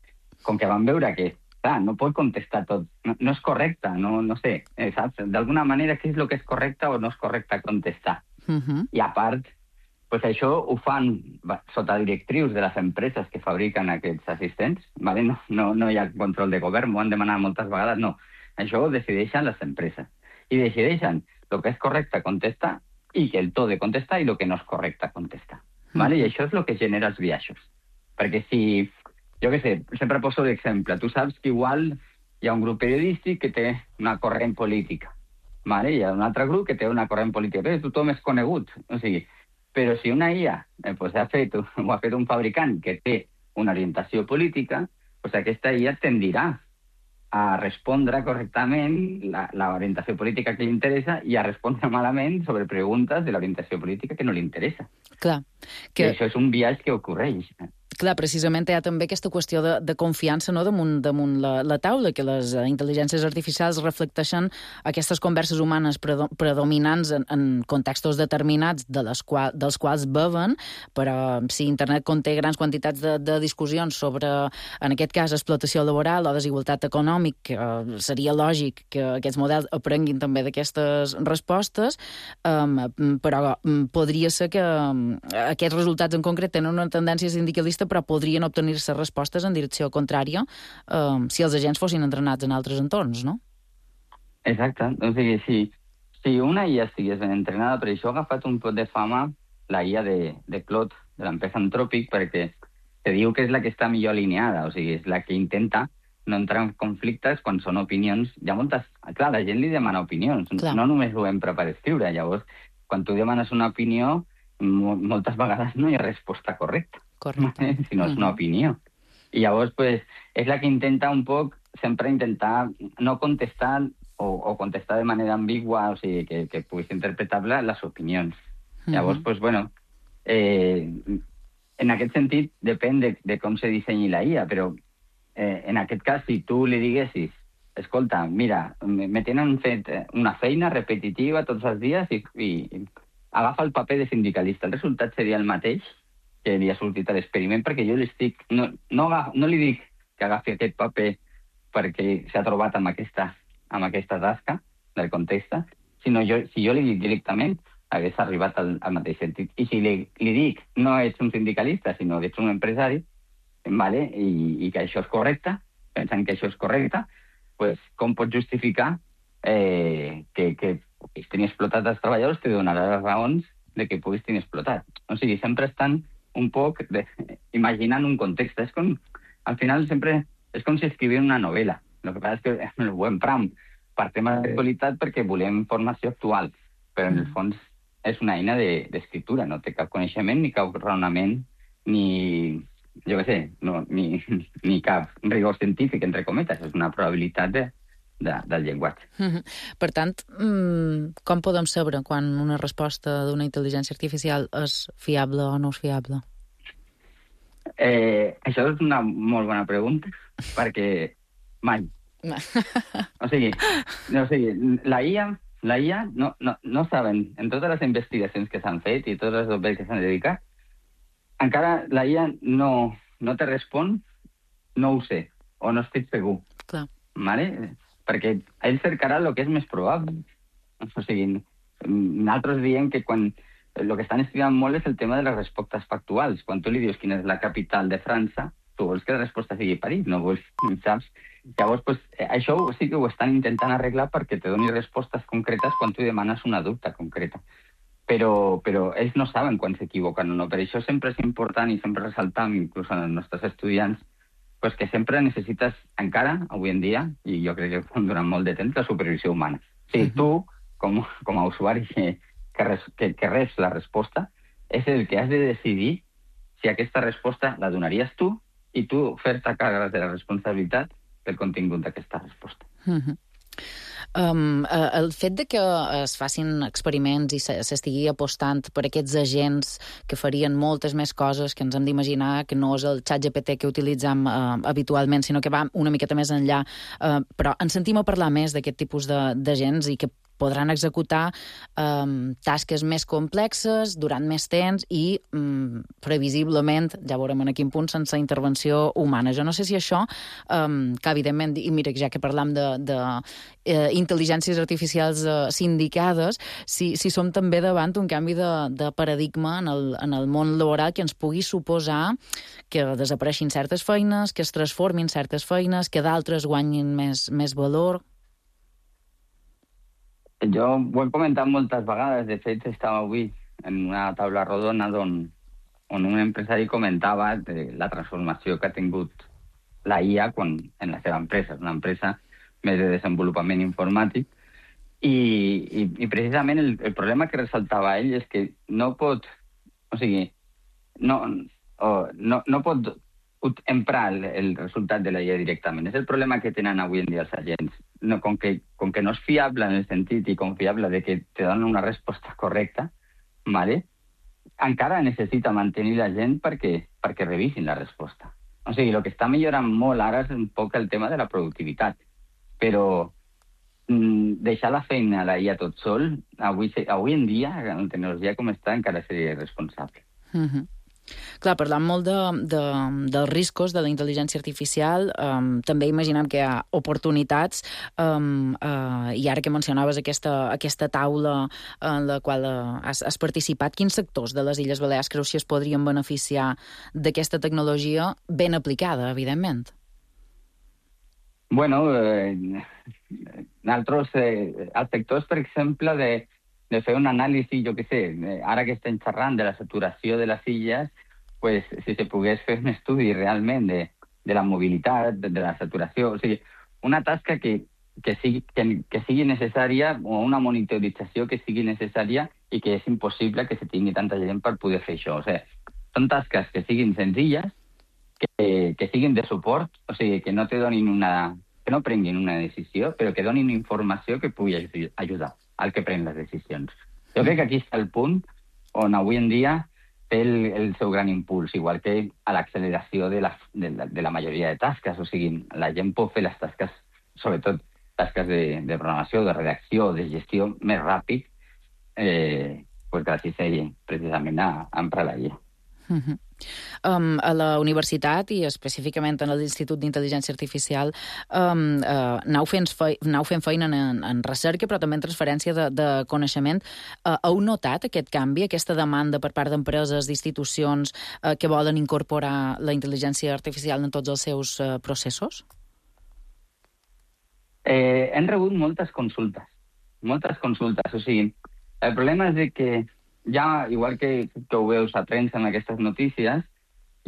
Com que van veure que clar, no pot contestar tot, no, no és correcte, no, no sé, eh, saps? D'alguna manera, què és el que és correcte o no és correcte contestar? Uh-huh. I a part, pues això ho fan sota directrius de les empreses que fabriquen aquests assistents, ¿vale? No, no, no hi ha control de govern, m'ho han demanat moltes vegades, no. Això ho decideixen les empreses. I decideixen el que és correcte contestar i que el to de contestar i el que no és correcte contestar. ¿Vale? I això és el que genera els biaixos. Perquè si, jo què sé, sempre poso d'exemple, tu saps que igual hi ha un grup periodístic que té una corrent política, ¿vale? Hi ha un altre grup que té una corrent política, però tothom és conegut, o sigui, però si una I A eh, pues, ha fet, ho ha fet un fabricant que té una orientació política, pues aquesta I A tendirà a respondre correctament la, la orientació política que li interessa i a respondre malament sobre preguntes de l'orientació política que no li interessa. Clar. Que... I això és un biaix que ocorreix. Clar, precisament hi ha també aquesta qüestió de, de confiança, no?, damunt, damunt la, la taula, que les intel·ligències artificials reflecteixen aquestes converses humanes predo, predominants en, en contextos determinats de les qual, dels quals beven, però si internet conté grans quantitats de, de discussions sobre, en aquest cas, explotació laboral o desigualtat econòmica, eh, seria lògic que aquests models aprenguin també d'aquestes respostes, eh, però podria ser que aquests resultats en concret tenen una tendència sindicalista, però podrien obtenir-se respostes en direcció contrària eh, si els agents fossin entrenats en altres entorns, no? Exacte. O sigui, si, si una I A estigués ben entrenada, per això ha agafat un pot de fama la I A de, de Claude, de l'empresa Anthropic, perquè se diu que és la que està millor alineada, o sigui, és la que intenta no entrar en conflictes quan són opinions. Hi ha moltes... Clar, la gent li demana opinions, clar. No només ho empra per escriure. Llavors, quan tu demanes una opinió, moltes vegades no hi ha resposta correcta. Correcte. Si no és una opinió. I llavors, pues, és la que intenta un poc sempre intentar no contestar o, o contestar de manera ambigua, o sigui, que, que puguis interpretar-la les opinions. Uh-huh. Llavors, pues, bueno, eh, en aquest sentit depèn de, de com se dissenyi la I A, però eh, en aquest cas, si tu li diguessis, escolta, mira, me tenen fet una feina repetitiva tots els dies i, i agafa el paper de sindicalista. El resultat seria el mateix que li ha sortit a l'experiment, perquè jo li estic... No, no, no li dic que agafi aquest paper perquè s'ha trobat amb aquesta, amb aquesta tasca del context, sinó jo, si jo li dic directament, hagués arribat al, al mateix sentit. I si li, li dic no ets un sindicalista, sinó que ets un empresari, vale? I, i que això és correcte, pensant que això és correcte, pues, com pots justificar eh, que, que puguis tenir explotat els treballadors, te donarà les raons de que puguis tenir explotat. O sigui, sempre estan un poc de, imaginant un context. És com, al final sempre és com si escrivien una novel·la. El que passa és que ho empram per temes d'actualitat perquè volem informació actual, però en el fons és una eina d'escriptura, no té cap coneixement ni cap raonament, ni, jo què sé, no, ni, ni cap rigor científic, entre cometes. És una probabilitat de, de, del llenguatge. Mm-hmm. Per tant, com podem saber quan una resposta d'una intel·ligència artificial és fiable o no és fiable? Eh, això és una molt bona pregunta, perquè mai. O sigui, o sigui la I A, la I A no, no, no saben, en totes les investigacions que s'han fet i tots els dobbers que s'han dedicat, encara la I A no, no te respon, no ho sé, o no estic segur. Clar. Vale? Perquè ell cercarà el que és més probable. O sigui, nosaltres diem que quan el que estan estudiant molt és el tema de les respostes factuals. Quan tu li dius quina és la capital de França, tu vols que la resposta sigui París, no vols, saps? Llavors, pues, això sí que ho estan intentant arreglar perquè te doni respostes concretes quan tu demanes una dubte concreta. Però, però ells no saben quan s'equivoquen o no. Per això sempre és important i sempre ressaltam, inclús en els nostres estudiants, pues que sempre necessites, encara, avui en dia, i jo crec que durant molt de temps, la supervisió humana. O sigui, tu, com, com a usuari que, que, res, que, que reps la resposta, és el que has de decidir si aquesta resposta la donaries tu i tu fer-te càrrec de la responsabilitat del contingut d'aquesta resposta. Uh-huh. Um, uh, el fet de que es facin experiments i s'estigui apostant per aquests agents que farien moltes més coses que ens hem d'imaginar, que no és el xat G P T que utilitzem uh, habitualment, sinó que va una miqueta més enllà, uh, però ens sentim a parlar més d'aquest tipus d'agents i que podran executar um, tasques més complexes durant més temps i um, previsiblement, ja veurem en quin punt, sense intervenció humana. Jo no sé si això, um, que evidentment, i mira, ja que parlam de, de eh, intel·ligències artificials eh, sindicades, si, si som també davant un canvi de, de paradigma en el, en el món laboral que ens pugui suposar que desapareixin certes feines, que es transformin certes feines, que d'altres guanyin més, més valor. Jo ho he comentat moltes vegades. De fet, estava avui en una taula rodona on, on un empresari comentava de la transformació que ha tingut la I A quan, en la seva empresa. És una empresa més de desenvolupament informàtic. I, i, i precisament el, el problema que ressaltava ell és que no pot... O sigui, no, o, no, no pot emprar el, el resultat de la I A directament. És el problema que tenen avui en dia els agents. No, com, que, com que no és fiable en el sentit i confiable de que te donen una resposta correcta, ¿vale? Encara necessita mantenir la gent perquè, perquè revisin la resposta. O sigui, el que està millorant molt ara és un poc el tema de la productivitat. Però mm, deixar la feina a la I A tot sol, avui, avui en dia, amb la tecnologia com està, encara seria irresponsable. Mm-hmm. Clar, parlant molt de, de, dels riscos de la intel·ligència artificial, um, també imaginem que hi ha oportunitats, um, uh, i ara que mencionaves aquesta, aquesta taula en la qual uh, has, has participat, quins sectors de les Illes Balears creus que es podrien beneficiar d'aquesta tecnologia ben aplicada, evidentment? Bueno, eh, nosaltres, eh, els sectors, per exemple, de de fer un anàlisi, jo què sé, ara que estem xerrant de la saturació de les illes, pues, si se pogués fer un estudi realment de, de la mobilitat, de, de la saturació, o sigui, una tasca que, que, sigui, que, que sigui necessària, o una monitorització que sigui necessària i que és impossible que se tingui tanta gent per poder fer això. O sigui, són tasques que siguin senzilles, que, que siguin de suport, o sigui, que no te donin una... que no prenguin una decisió, però que donin informació que pugui ajudar al que pren les decisions. Jo crec que aquí està el punt on avui en dia té el, el seu gran impuls, igual que a l'acceleració de la, de, la, de la majoria de tasques. O sigui, la gent pot fer les tasques, sobretot tasques de, de programació, de redacció, de gestió, més ràpid, eh, pues gràcies a ell, precisament a, a emprar la I A. Uh-huh. Um, a la universitat i específicament en l'Institut d'Intel·ligència Artificial um, uh, aneu, fent fe aneu fent feina en, en recerca però també en transferència de, de coneixement. Uh, heu notat aquest canvi, aquesta demanda per part d'empreses, d'institucions uh, que volen incorporar la intel·ligència artificial en tots els seus uh, processos? Eh, hem rebut moltes consultes, moltes consultes. O sigui, el problema és de que ja, igual que, que ho veus a premsa en aquestes notícies,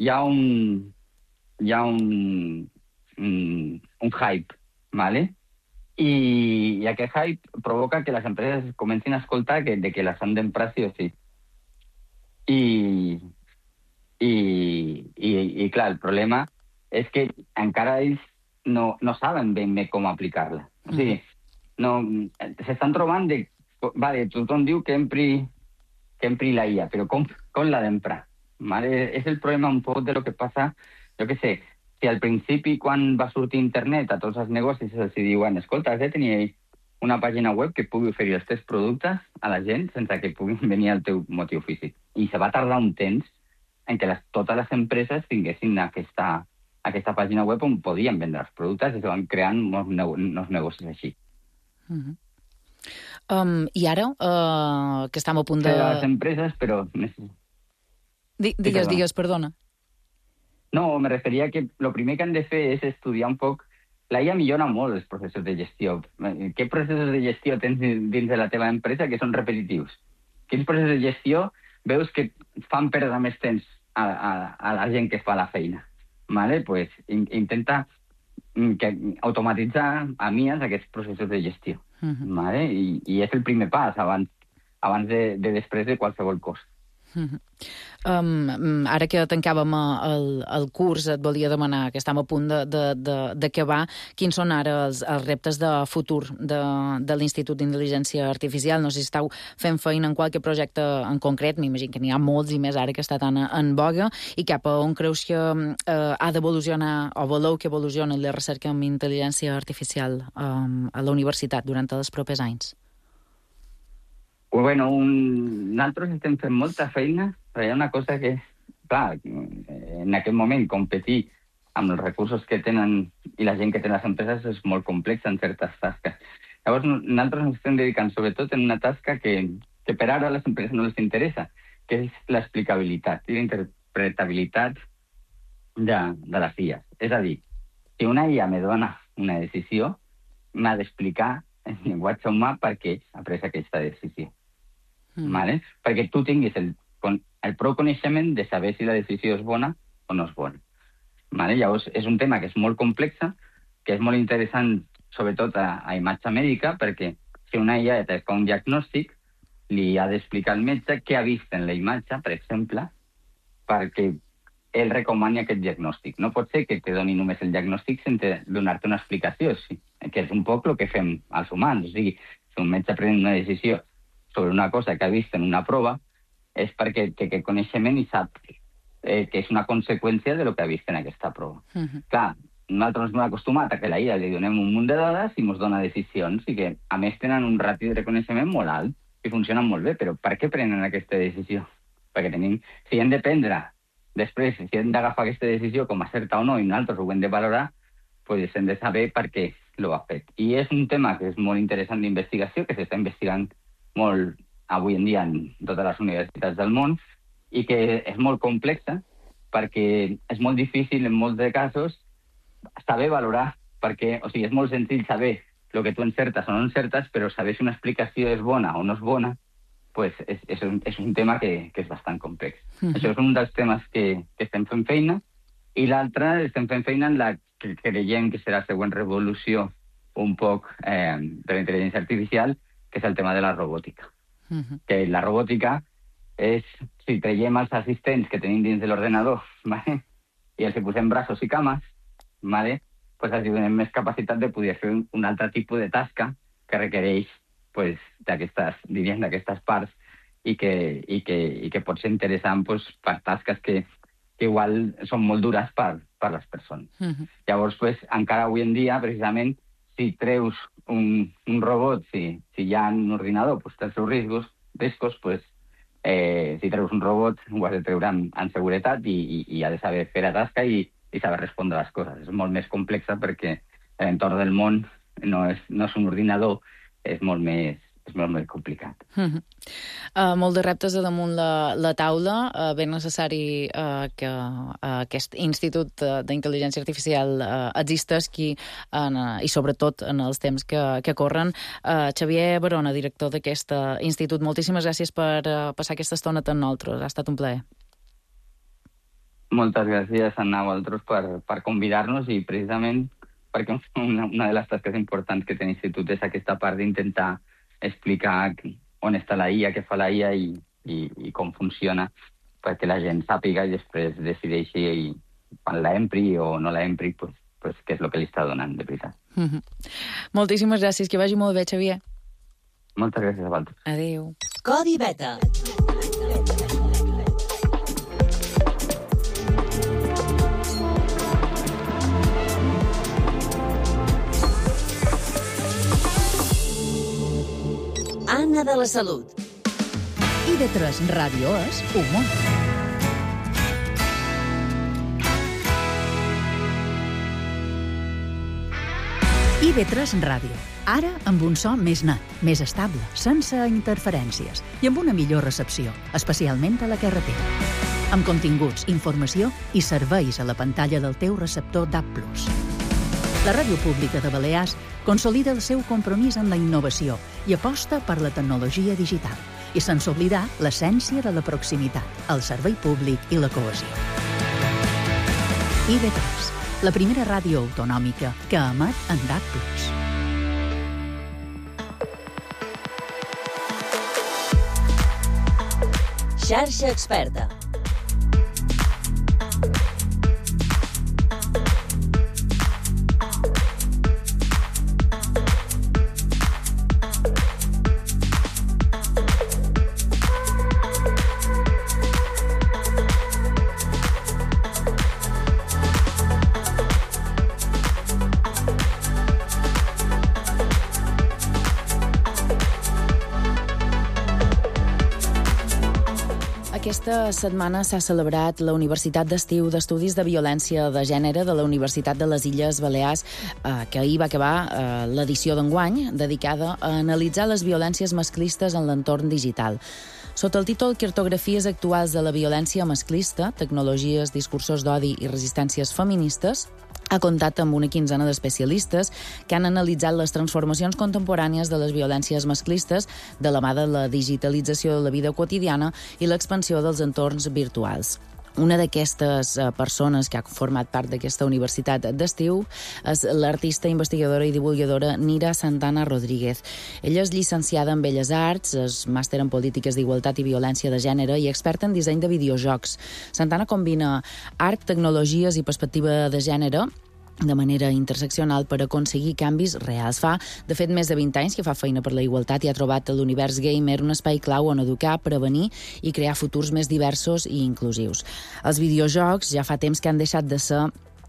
hi ha un, hi ha un, un, un hype, ¿vale? I, i aquest hype provoca que les empreses comencin a escoltar que, de que les han d'emprar sí o sí. I, i, i, i clar, el problema és que encara ells no, no saben ben bé com aplicar-la. O sigui, no, s'estan trobant de... Vale, tothom diu que empri que empri la I A, però com, com l'ha d'emprar? ¿Vale? És el problema un poc de lo que passa, jo què sé, si al principi, quan va sortir internet a tots els negocis, els diuen, escolta, has de tenir una pàgina web que pugui oferir els teus productes a la gent sense que puguin venir al teu motiu físic. I se va tardar un temps en què les, totes les empreses tinguessin aquesta, aquesta pàgina web on podien vendre els productes i se van creant nous, nous negocis així. Uh-huh. Um, I ara, uh, que estem a punt de... De les empreses, però... Di digues, sí, digues, perdona. No, me referia que el primer que han de fer és estudiar un poc... La I A millora molt els processos de gestió. Què processos de gestió tens dins de la teva empresa que són repetitius? Quins processos de gestió veus que fan perdre més temps a, a, a la gent que fa la feina? Vale? Pues, in, intenta que, automatitzar a mies aquests processos de gestió. Uh-huh. Vale? I, I és el primer pas abans, abans de, de després de qualsevol cosa. Uh-huh. Um, ara que tancàvem el, el curs, et volia demanar, que estem a punt d'acabar, quins són ara els, els reptes de futur de, de l'Institut d'Intel·ligència Artificial? No sé si esteu fent feina en qualque projecte en concret, m'imagino que n'hi ha molts i més ara que està tan en boga, i cap a on creus que uh, ha d'evolucionar, o voleu que evolucioni la recerca en intel·ligència artificial um, a la universitat durant els propers anys? Bueno, un... nosaltres estem fent molta feina, però hi ha una cosa que, clar, en aquest moment competir amb els recursos que tenen i la gent que té les empreses és molt complexa en certes tasques. Llavors, nosaltres ens estem dedicant sobretot en una tasca que, que per ara a les empreses no les interessa, que és l'explicabilitat i la interpretabilitat de, de les I As. És a dir, si una I A me dona una decisió, m'ha d'explicar en llenguatge humà per què ha pres aquesta decisió. Mm. Vale? Perquè tu tinguis el, el prou coneixement de saber si la decisió és bona o no és bona. Vale? Llavors, és un tema que és molt complex, que és molt interessant, sobretot a, a imatge mèdica, perquè si una I A et fa un diagnòstic, li ha d'explicar al metge què ha vist en la imatge, per exemple, perquè ell recomani aquest diagnòstic. No pot ser que te doni només el diagnòstic sense donar-te una explicació, sí, que és un poc el que fem als humans. O sigui, si un metge pren una decisió sobre una cosa que ha vist en una prova, és perquè té aquest coneixement i sap eh, que és una conseqüència de lo que ha vist en aquesta prova. Uh-huh. Clar, nosaltres ens hem acostumat a que a la I A li donem un munt de dades i ens dona decisions i que, a més, tenen un ràtio de reconeixement molt alt i funcionen molt bé, però per què prenen aquesta decisió? Perquè tenim... Si hem de prendre després, si hem d'agafar aquesta decisió com a certa o no i nosaltres ho hem de valorar, doncs hem de saber per què l'ho ha fet. I és un tema que és molt interessant d'investigació, que s'està investigant molt avui en dia en totes les universitats del món i que és molt complexa perquè és molt difícil en molts de casos saber valorar perquè, o sigui, és molt senzill saber el que tu encertes o no encertes, però saber si una explicació és bona o no és bona, pues és, és, un, és un tema que, que és bastant complex. Mm-hmm. Això és un dels temes que, que estem fent feina i l'altre estem fent feina en la que creiem que serà la següent revolució un poc eh, de la intel·ligència artificial, que és el tema de la robòtica. Uh-huh. Que la robòtica és, si traiem els assistents que tenim dins de l'ordenador, ¿vale? I els posem braços i cames, ¿vale? Pues els donem més capacitat de poder fer un, un altre tipus de tasca que requereix pues, d'aquestes, diríem, d'aquestes parts i que, i, que, i que pot ser interessant pues, per tasques que, que igual són molt dures per, per les persones. Uh-huh. Llavors, pues, encara avui en dia, precisament, si treus un, un robot, si, si hi ha un ordinador, pues, té els seus riscos, riscos pues, eh, si treus un robot, ho has de treure en, en seguretat i, i, i ha de saber fer la tasca i, i saber respondre a les coses. És molt més complexa perquè l'entorn del món no és, no és un ordinador, és molt més, és molt més complicat. Uh-huh. Uh, molt de reptes a damunt la, la taula, uh, ben necessari uh, que uh, aquest Institut uh, d'Intel·ligència Artificial uh, existeixi en, uh, i sobretot en els temps que, que corren. Uh, Xavier Barona, director d'aquest uh, institut, moltíssimes gràcies per uh, passar aquesta estona amb nosaltres. Ha estat un plaer. Moltes gràcies, Anna, a vosaltres per, per convidar-nos i precisament perquè una, una de les tasques importants que té l'Institut és aquesta part d'intentar explicar on està la I A, què fa la I A i, i, i com funciona perquè la gent sàpiga i després decideixi i, quan la empri o no la empri, pues, pues, què és el que li està donant, de veritat. Mm-hmm. Moltíssimes gràcies, que vagi molt bé, Xavier. Moltes gràcies a vosaltres. Adéu. Codi Beta. Anna de la Salut. I de tres Ràdio és humor. I B tres Ràdio. Ara amb un so més net, més estable, sense interferències i amb una millor recepció, especialment a la carretera. Amb continguts, informació i serveis a la pantalla del teu receptor D A B plus. La Ràdio Pública de Balears consolida el seu compromís en la innovació i aposta per la tecnologia digital. I sense oblidar l'essència de la proximitat, el servei públic i la cohesió. I B tres, la primera ràdio autonòmica que emet en D A B plus. Xarxa Experta. Aquesta setmana s'ha celebrat la Universitat d'Estiu d'Estudis de Violència de Gènere de la Universitat de les Illes Balears, eh, que ahir va acabar eh, l'edició d'enguany, dedicada a analitzar les violències masclistes en l'entorn digital. Sota el títol Cartografies actuals de la violència masclista, tecnologies, discursos d'odi i resistències feministes, ha comptat amb una quinzena d'especialistes que han analitzat les transformacions contemporànies de les violències masclistes de la mà de la digitalització de la vida quotidiana i l'expansió dels entorns virtuals. Una d'aquestes persones que ha format part d'aquesta universitat d'estiu és l'artista, investigadora i divulgadora Nira Santana Rodríguez. Ella és llicenciada en Belles Arts, és màster en Polítiques d'Igualtat i Violència de Gènere i experta en disseny de videojocs. Santana combina art, tecnologies i perspectiva de gènere de manera interseccional per aconseguir canvis reals. Fa, de fet, més de vint anys que fa feina per la igualtat i ha trobat a l'univers gamer un espai clau on educar, prevenir i crear futurs més diversos i inclusius. Els videojocs ja fa temps que han deixat de ser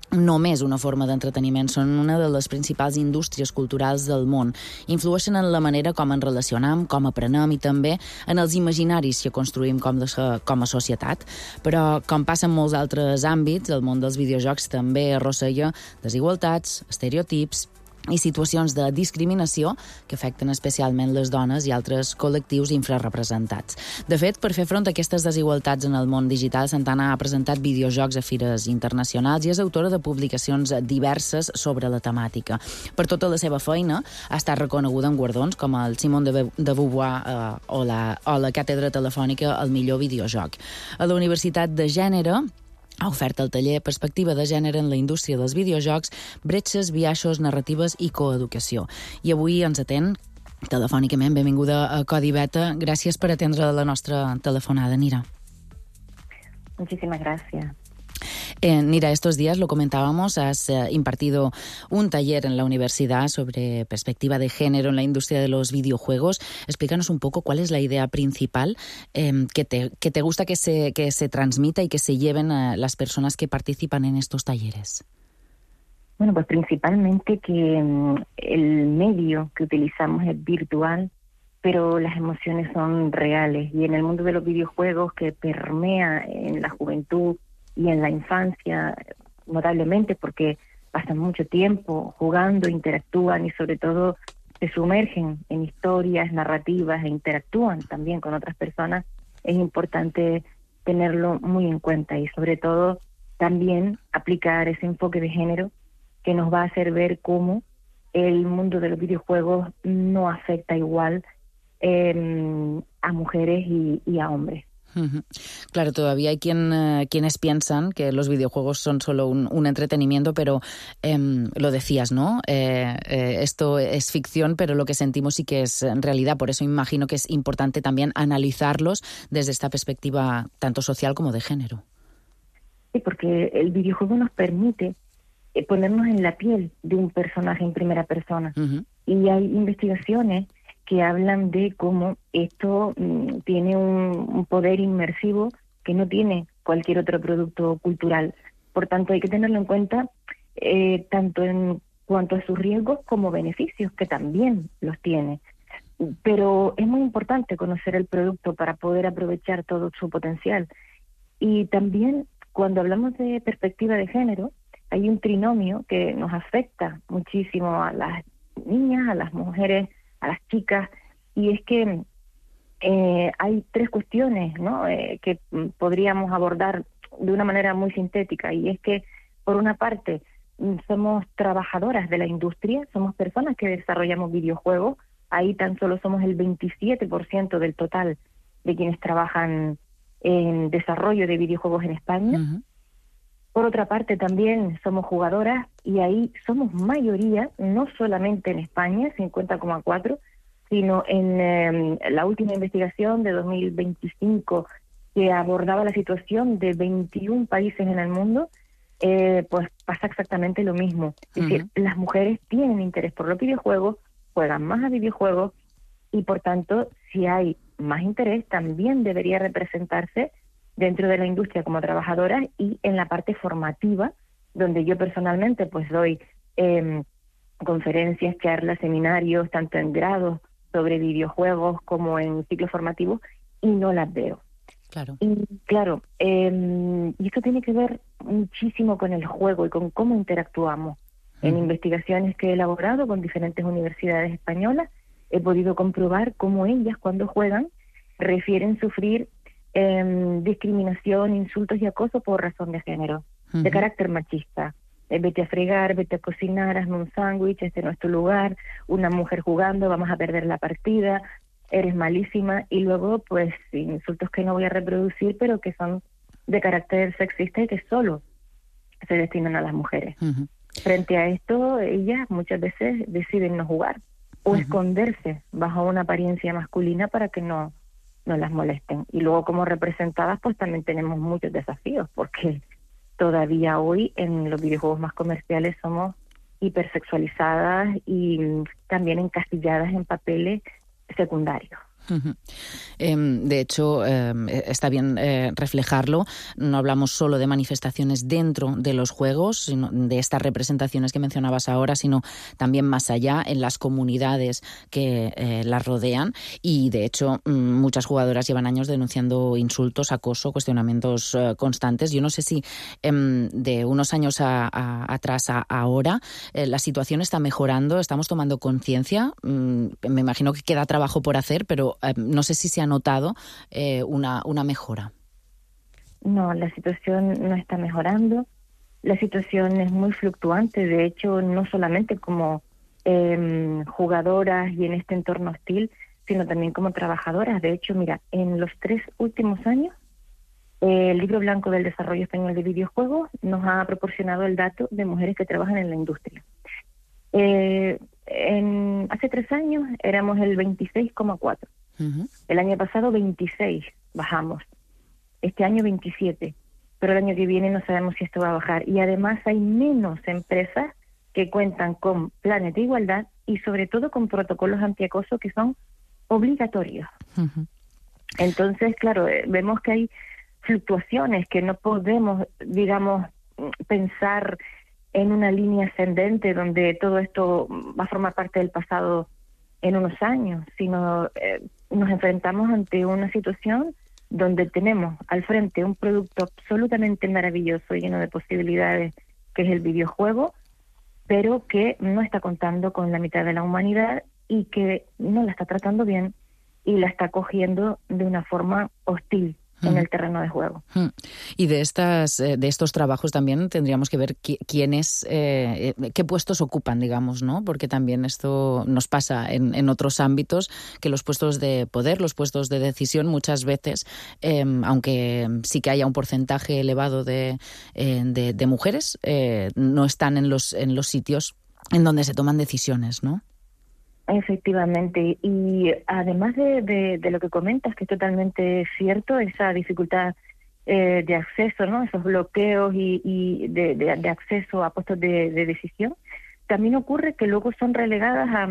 només una forma d'entreteniment, són una de les principals indústries culturals del món. Influeixen en la manera com ens relacionam, com aprenem i també en els imaginaris que construïm com, de, com a societat. Però, com passa en molts altres àmbits, el món dels videojocs també arrossega desigualtats, estereotips i situacions de discriminació que afecten especialment les dones i altres col·lectius infrarrepresentats. De fet, per fer front a aquestes desigualtats en el món digital, Santana ha presentat videojocs a fires internacionals i és autora de publicacions diverses sobre la temàtica. Per tota la seva feina, ha estat reconeguda en guardons com el Simone de Beauvoir eh, o, la, o la Càtedra Telefònica al millor videojoc. A la Universitat de Gènere ha ofert el taller Perspectiva de Gènere en la indústria dels videojocs, bretxes, biaixos, narratives i coeducació. I avui ens atén telefònicament. Benvinguda a Codi Beta. Gràcies per atendre la nostra telefonada, Nira. Muchísimas gracias. Eh, Nira, estos días lo comentábamos, has eh, impartido un taller en la universidad sobre perspectiva de género en la industria de los videojuegos. Explícanos un poco cuál es la idea principal eh, que, te, que te gusta que se, que se transmita y que se lleven a las personas que participan en estos talleres. Bueno, pues principalmente que um, el medio que utilizamos es virtual, pero las emociones son reales. Y en el mundo de los videojuegos, que permea en la juventud y en la infancia notablemente, porque pasan mucho tiempo jugando, interactúan y sobre todo se sumergen en historias, narrativas e interactúan también con otras personas, es importante tenerlo muy en cuenta y sobre todo también aplicar ese enfoque de género que nos va a hacer ver cómo el mundo de los videojuegos no afecta igual eh, a mujeres y, y a hombres. Uh-huh. Claro, todavía hay quien, uh, quienes piensan que los videojuegos son solo un, un entretenimiento, pero eh, lo decías, ¿no? Eh, eh, esto es ficción, pero lo que sentimos sí que es realidad. Por eso imagino que es importante también analizarlos desde esta perspectiva tanto social como de género. Sí, porque el videojuego nos permite eh, ponernos en la piel de un personaje en primera persona. Uh-huh. Y hay investigaciones que hablan de cómo esto mm, tiene un, un poder inmersivo que no tiene cualquier otro producto cultural. Por tanto, hay que tenerlo en cuenta eh, tanto en cuanto a sus riesgos como beneficios, que también los tiene. Pero es muy importante conocer el producto para poder aprovechar todo su potencial. Y también, cuando hablamos de perspectiva de género, hay un trinomio que nos afecta muchísimo a las niñas, a las mujeres, a las chicas, y es que eh, hay tres cuestiones, ¿no?, eh, que podríamos abordar de una manera muy sintética, y es que, por una parte, somos trabajadoras de la industria, somos personas que desarrollamos videojuegos, ahí tan solo somos el veintisiete por ciento del total de quienes trabajan en desarrollo de videojuegos en España. Uh-huh. Por otra parte, también somos jugadoras, y ahí somos mayoría, no solamente en España, cincuenta coma cuatro, sino en eh, la última investigación de dos mil veinticinco, que abordaba la situación de veintiún países en el mundo, eh, pues pasa exactamente lo mismo. Es uh-huh. decir, las mujeres tienen interés por los videojuegos, juegan más a videojuegos, y por tanto, si hay más interés, también debería representarse dentro de la industria como trabajadoras y en la parte formativa, donde yo personalmente pues doy eh, conferencias, charlas, seminarios, tanto en grados sobre videojuegos como en ciclos formativos, y no las veo. Claro. Y claro, eh, y esto tiene que ver muchísimo con el juego y con cómo interactuamos. En uh-huh. investigaciones que he elaborado con diferentes universidades españolas, he podido comprobar cómo ellas, cuando juegan, refieren sufrir eh, discriminación, insultos y acoso por razón de género, uh-huh. de carácter machista. Eh, vete a fregar, vete a cocinar, hazme un sándwich, este no es tu lugar, una mujer jugando, vamos a perder la partida, eres malísima, y luego pues insultos que no voy a reproducir, pero que son de carácter sexista y que solo se destinan a las mujeres. Uh-huh. Frente a esto, ellas muchas veces deciden no jugar o uh-huh. esconderse bajo una apariencia masculina para que no, no las molesten. Y luego, como representadas, pues también tenemos muchos desafíos, porque todavía hoy en los videojuegos más comerciales somos hipersexualizadas y también encasilladas en papeles secundarios. Uh-huh. Eh, de hecho, eh, está bien eh, reflejarlo. No hablamos solo de manifestaciones dentro de los juegos, sino de estas representaciones que mencionabas ahora, sino también más allá, en las comunidades que eh, las rodean. Y, de hecho, muchas jugadoras llevan años denunciando insultos, acoso, cuestionamientos eh, constantes. Yo no sé si eh, de unos años a, a, atrás a ahora eh, la situación está mejorando, estamos tomando conciencia. Mm, me imagino que queda trabajo por hacer, pero Eh, no sé si se ha notado eh, una, una mejora. No, la situación no está mejorando. La situación es muy fluctuante. De hecho, no solamente como eh, jugadoras y en este entorno hostil, sino también como trabajadoras. De hecho, mira, en los tres últimos años, eh, el Libro Blanco del Desarrollo Español de Videojuegos nos ha proporcionado el dato de mujeres que trabajan en la industria. Eh, en, hace tres años éramos el veintiséis coma cuatro. Uh-huh. El año pasado veintiséis, bajamos. Este año veintisiete. Pero el año que viene no sabemos si esto va a bajar. Y además hay menos empresas que cuentan con planes de igualdad y sobre todo con protocolos antiacoso que son obligatorios. Uh-huh. Entonces, claro, eh, vemos que hay fluctuaciones, que no podemos, digamos, pensar en una línea ascendente donde todo esto va a formar parte del pasado en unos años, sino eh, nos enfrentamos ante una situación donde tenemos al frente un producto absolutamente maravilloso, lleno de posibilidades, que es el videojuego, pero que no está contando con la mitad de la humanidad y que no la está tratando bien y la está cogiendo de una forma hostil en el terreno de juego. Y de estas de estos trabajos también tendríamos que ver qui- quiénes, eh, qué puestos ocupan, digamos, ¿no? Porque también esto nos pasa en, en otros ámbitos, que los puestos de poder, los puestos de decisión, muchas veces, eh, aunque sí que haya un porcentaje elevado de, eh, de, de mujeres, eh, no están en los, en los sitios en donde se toman decisiones, ¿no? Efectivamente, y además de, de, de lo que comentas, que es totalmente cierto, esa dificultad eh, de acceso, ¿no? Esos bloqueos y, y de, de, de acceso a puestos de, de decisión, también ocurre que luego son relegadas a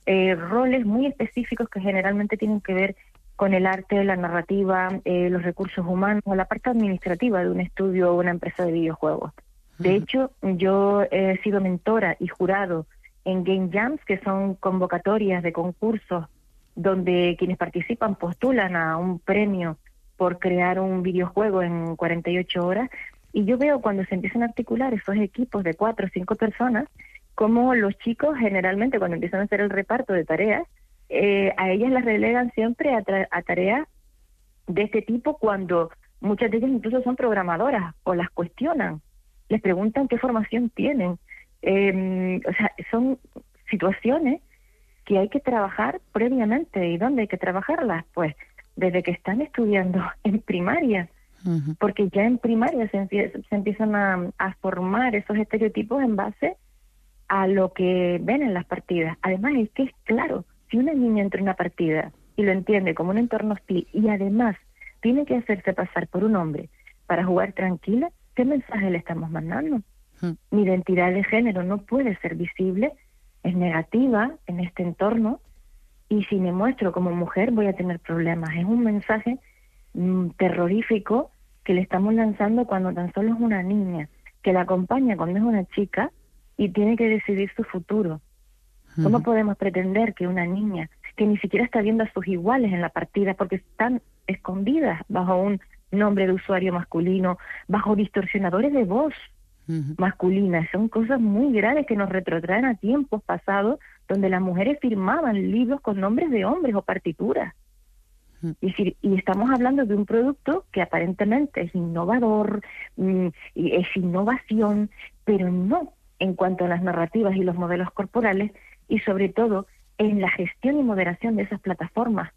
eh, roles muy específicos que generalmente tienen que ver con el arte, la narrativa, eh, los recursos humanos, o la parte administrativa de un estudio o una empresa de videojuegos. De hecho, yo he sido mentora y jurado en Game Jams, que son convocatorias de concursos donde quienes participan postulan a un premio por crear un videojuego en cuarenta y ocho horas, Y yo veo cuando se empiezan a articular esos equipos de cuatro o cinco personas, como los chicos generalmente cuando empiezan a hacer el reparto de tareas, eh, a ellas las relegan siempre a, tra- a tareas de este tipo, cuando muchas de ellas incluso son programadoras o las cuestionan, les preguntan qué formación tienen. Eh, o sea, son situaciones que hay que trabajar previamente. ¿Y dónde hay que trabajarlas? Pues desde que están estudiando en primaria, uh-huh. porque ya en primaria se, empie- se empiezan a, a formar esos estereotipos en base a lo que ven en las partidas. Además, es que es claro, si una niña entra en una partida y lo entiende como un entorno hostil y además tiene que hacerse pasar por un hombre para jugar tranquila, ¿qué mensaje le estamos mandando? Uh-huh. Mi identidad de género no puede ser visible, es negativa en este entorno, y si me muestro como mujer voy a tener problemas. Es un mensaje mmm, terrorífico que le estamos lanzando cuando tan solo es una niña, que la acompaña cuando es una chica y tiene que decidir su futuro. Uh-huh. ¿Cómo podemos pretender que una niña que ni siquiera está viendo a sus iguales en la partida porque están escondidas bajo un nombre de usuario masculino, bajo distorsionadores de voz uh-huh. masculinas? Son cosas muy graves que nos retrotraen a tiempos pasados donde las mujeres firmaban libros con nombres de hombres o partituras. Uh-huh. Y, si, y estamos hablando de un producto que aparentemente es innovador, mmm, y es innovación, pero no en cuanto a las narrativas y los modelos corporales, y sobre todo en la gestión y moderación de esas plataformas.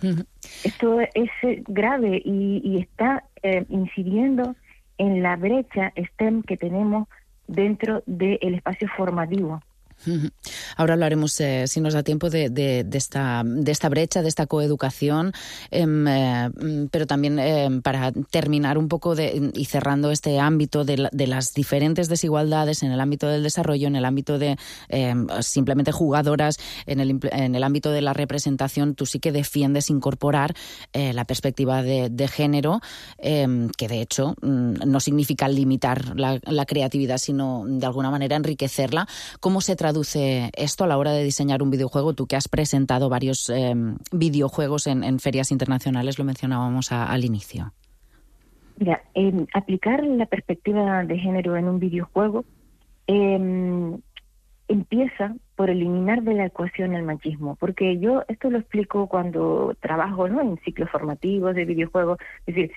Uh-huh. Esto es grave y, y está eh, incidiendo en la brecha STEM que tenemos dentro del espacio formativo. Ahora hablaremos, eh, si nos da tiempo, de, de, de, esta, de esta brecha, de esta coeducación, eh, eh, pero también eh, para terminar un poco de, y cerrando este ámbito de, la, de las diferentes desigualdades en el ámbito del desarrollo, en el ámbito de eh, simplemente jugadoras, en el, en el ámbito de la representación, tú sí que defiendes incorporar eh, la perspectiva de, de género, eh, que de hecho no significa limitar la, la creatividad, sino de alguna manera enriquecerla. ¿Cómo se traduce esto a la hora de diseñar un videojuego? Tú que has presentado varios eh, videojuegos en, en ferias internacionales, lo mencionábamos a, al inicio. Mira, eh, aplicar la perspectiva de género en un videojuego eh, empieza por eliminar de la ecuación el machismo, porque yo esto lo explico cuando trabajo, ¿no?, en ciclos formativos de videojuegos. Es decir,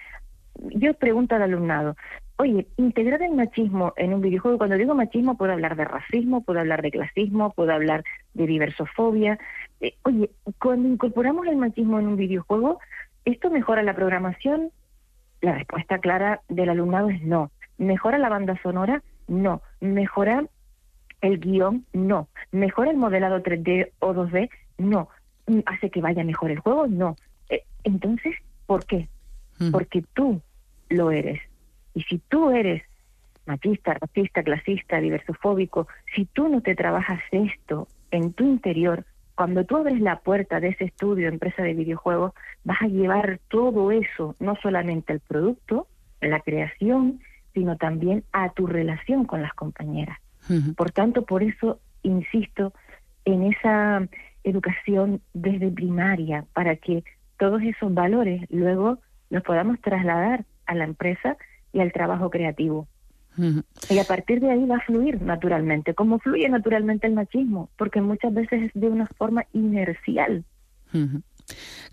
yo pregunto al alumnado, oye, integrar el machismo en un videojuego, cuando digo machismo puedo hablar de racismo, puedo hablar de clasismo, puedo hablar de diversofobia. Eh, oye, cuando incorporamos el machismo en un videojuego, ¿esto mejora la programación? La respuesta clara del alumnado es no. ¿Mejora la banda sonora? No. ¿Mejora el guión? No. ¿Mejora el modelado tres D o dos D? No. ¿Hace que vaya mejor el juego? No. Eh, entonces, ¿por qué? Mm. Porque tú lo eres. Y si tú eres machista, racista, clasista, diversofóbico, si tú no te trabajas esto en tu interior, cuando tú abres la puerta de ese estudio, empresa de videojuegos, vas a llevar todo eso, no solamente al producto, a la creación, sino también a tu relación con las compañeras. Uh-huh. Por tanto, por eso insisto en esa educación desde primaria, para que todos esos valores luego los podamos trasladar a la empresa y al trabajo creativo. Uh-huh. Y a partir de ahí va a fluir naturalmente, como fluye naturalmente el machismo, porque muchas veces es de una forma inercial. Uh-huh.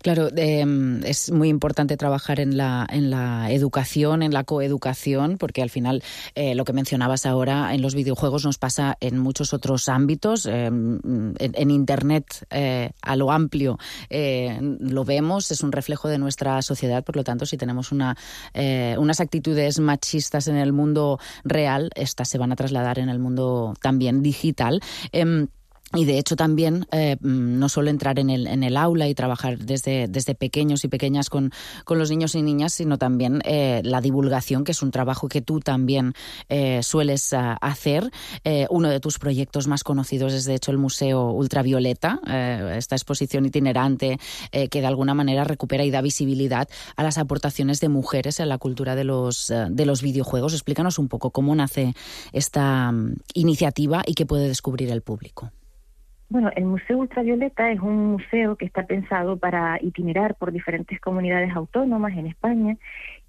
Claro, eh, es muy importante trabajar en la, en la educación, en la coeducación, porque al final eh, lo que mencionabas ahora en los videojuegos nos pasa en muchos otros ámbitos. Eh, en, en Internet, eh, a lo amplio, eh, lo vemos, es un reflejo de nuestra sociedad. Por lo tanto, si tenemos una, eh, unas actitudes machistas en el mundo real, estas se van a trasladar en el mundo también digital. Eh, Y de hecho también eh, no solo entrar en el, en el aula y trabajar desde, desde pequeños y pequeñas con, con los niños y niñas, sino también eh, la divulgación, que es un trabajo que tú también eh, sueles uh, hacer. Eh, uno de tus proyectos más conocidos es de hecho el Museo Ultravioleta, eh, esta exposición itinerante eh, que de alguna manera recupera y da visibilidad a las aportaciones de mujeres en la cultura de los, uh, de los videojuegos. Explícanos un poco cómo nace esta um, iniciativa y qué puede descubrir el público. Bueno, el Museo Ultravioleta es un museo que está pensado para itinerar por diferentes comunidades autónomas en España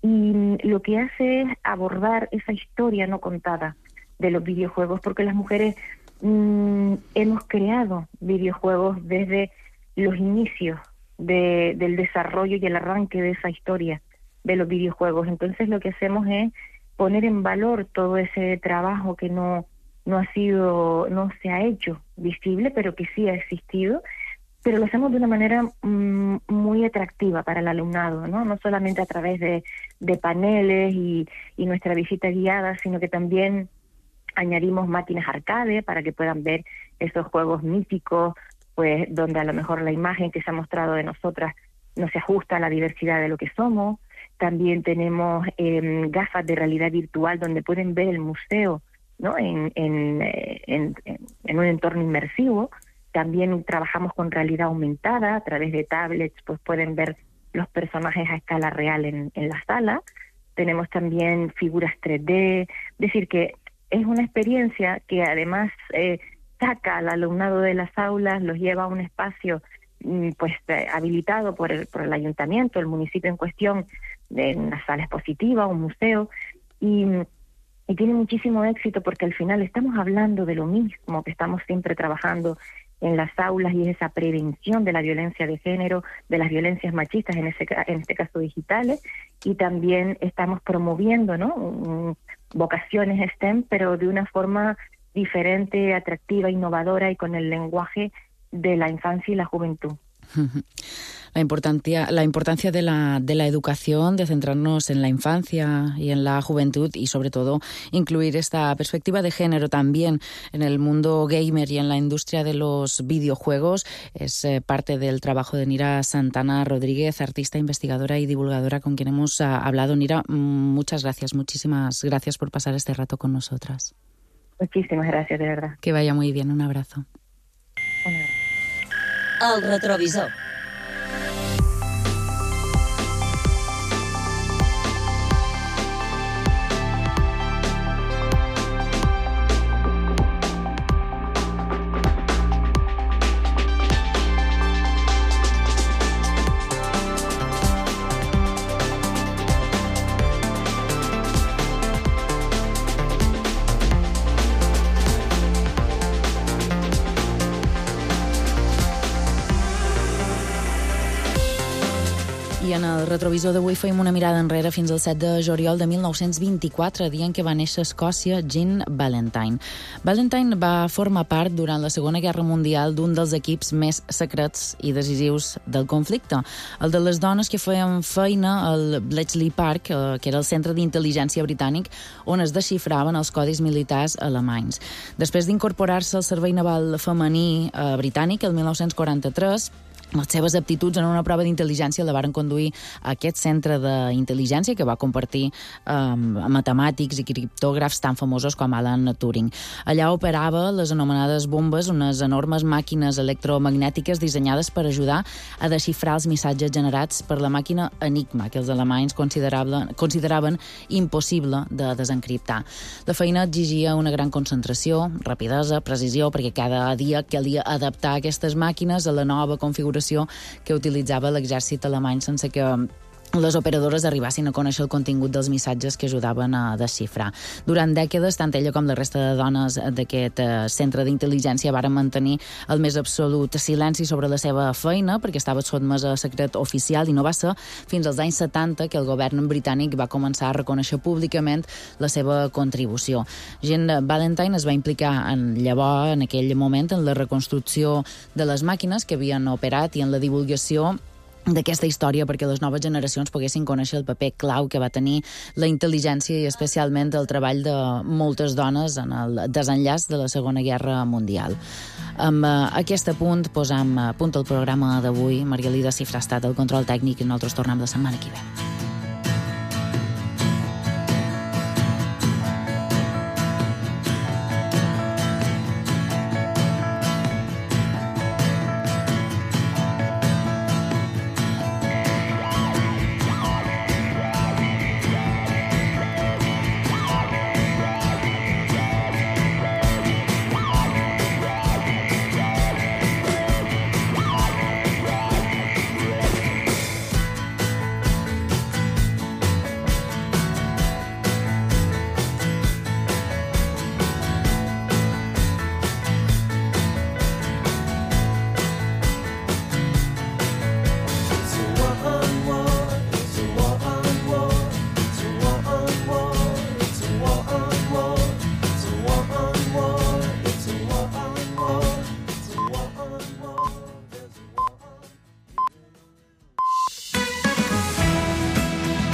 y lo que hace es abordar esa historia no contada de los videojuegos, porque las mujeres mmm, hemos creado videojuegos desde los inicios de, del desarrollo y el arranque de esa historia de los videojuegos. Entonces lo que hacemos es poner en valor todo ese trabajo que no no ha sido, no se ha hecho visible, pero que sí ha existido, pero lo hacemos de una manera mmm, muy atractiva para el alumnado, ¿no? No solamente a través de, de paneles y, y nuestra visita guiada, sino que también añadimos máquinas arcade para que puedan ver esos juegos míticos, pues donde a lo mejor la imagen que se ha mostrado de nosotras no se ajusta a la diversidad de lo que somos. También tenemos eh, gafas de realidad virtual donde pueden ver el museo, ¿no? En, en, en, en un entorno inmersivo. También trabajamos con realidad aumentada, a través de tablets pues pueden ver los personajes a escala real en, en la sala. Tenemos también figuras tres D, es decir que es una experiencia que además eh, saca al alumnado de las aulas, los lleva a un espacio pues eh, habilitado por el, por el ayuntamiento, el municipio en cuestión, de una sala expositiva, un museo, y Y tiene muchísimo éxito porque al final estamos hablando de lo mismo que estamos siempre trabajando en las aulas, y es esa prevención de la violencia de género, de las violencias machistas, en, ese, en este caso digitales, y también estamos promoviendo, ¿no? vocaciones STEM, pero de una forma diferente, atractiva, innovadora y con el lenguaje de la infancia y la juventud. La importancia, la importancia de la, de la educación, de centrarnos en la infancia y en la juventud y sobre todo incluir esta perspectiva de género también en el mundo gamer y en la industria de los videojuegos es eh, parte del trabajo de Nira Santana Rodríguez, artista, investigadora y divulgadora con quien hemos uh, hablado. Nira, muchas gracias, muchísimas gracias por pasar este rato con nosotras. Muchísimas gracias, de verdad. Que vaya muy bien, un abrazo. Un abrazo. El retrovisor. I en el retrovisor d'avui feim una mirada enrere fins al set de juliol de mil nou-cents vint-i-quatre, dia en què va néixer a Escòcia Jean Valentine. Valentine va formar part durant la Segona Guerra Mundial d'un dels equips més secrets i decisius del conflicte, el de les dones que feien feina al Bletchley Park, que era el centre d'intel·ligència britànic, on es desxifraven els codis militars alemanys. Després d'incorporar-se al servei naval femení eh, britànic, el mil nou-cents quaranta-tres, les seves aptituds en una prova d'intel·ligència la varen conduir a aquest centre d'intel·ligència que va compartir amb um, matemàtics i criptògrafs tan famosos com Alan Turing. Allà operava les anomenades bombes, unes enormes màquines electromagnètiques dissenyades per ajudar a desxifrar els missatges generats per la màquina Enigma, que els alemanys consideraven, consideraven impossible de desencriptar. La feina exigia una gran concentració, rapidesa, precisió, perquè cada dia calia adaptar aquestes màquines a la nova configuració que utilitzava l'exèrcit alemany sense que les operadores arribassin a conèixer el contingut dels missatges que ajudaven a desxifrar. Durant dècades, tant ella com la resta de dones d'aquest centre d'intel·ligència varen mantenir el més absolut silenci sobre la seva feina perquè estava sotmesa a secret oficial, i no va ser fins als anys setanta que el govern britànic va començar a reconèixer públicament la seva contribució. Jean Valentine es va implicar en llavors, en aquell moment, en la reconstrucció de les màquines que havien operat i en la divulgació d'aquesta història perquè les noves generacions poguessin conèixer el paper clau que va tenir la intel·ligència i especialment el treball de moltes dones en el desenllaç de la Segona Guerra Mundial. Amb aquest punt posam punt al programa d'avui. Margalida Cifra ha estat el control tècnic i nosaltres tornem la setmana que ve.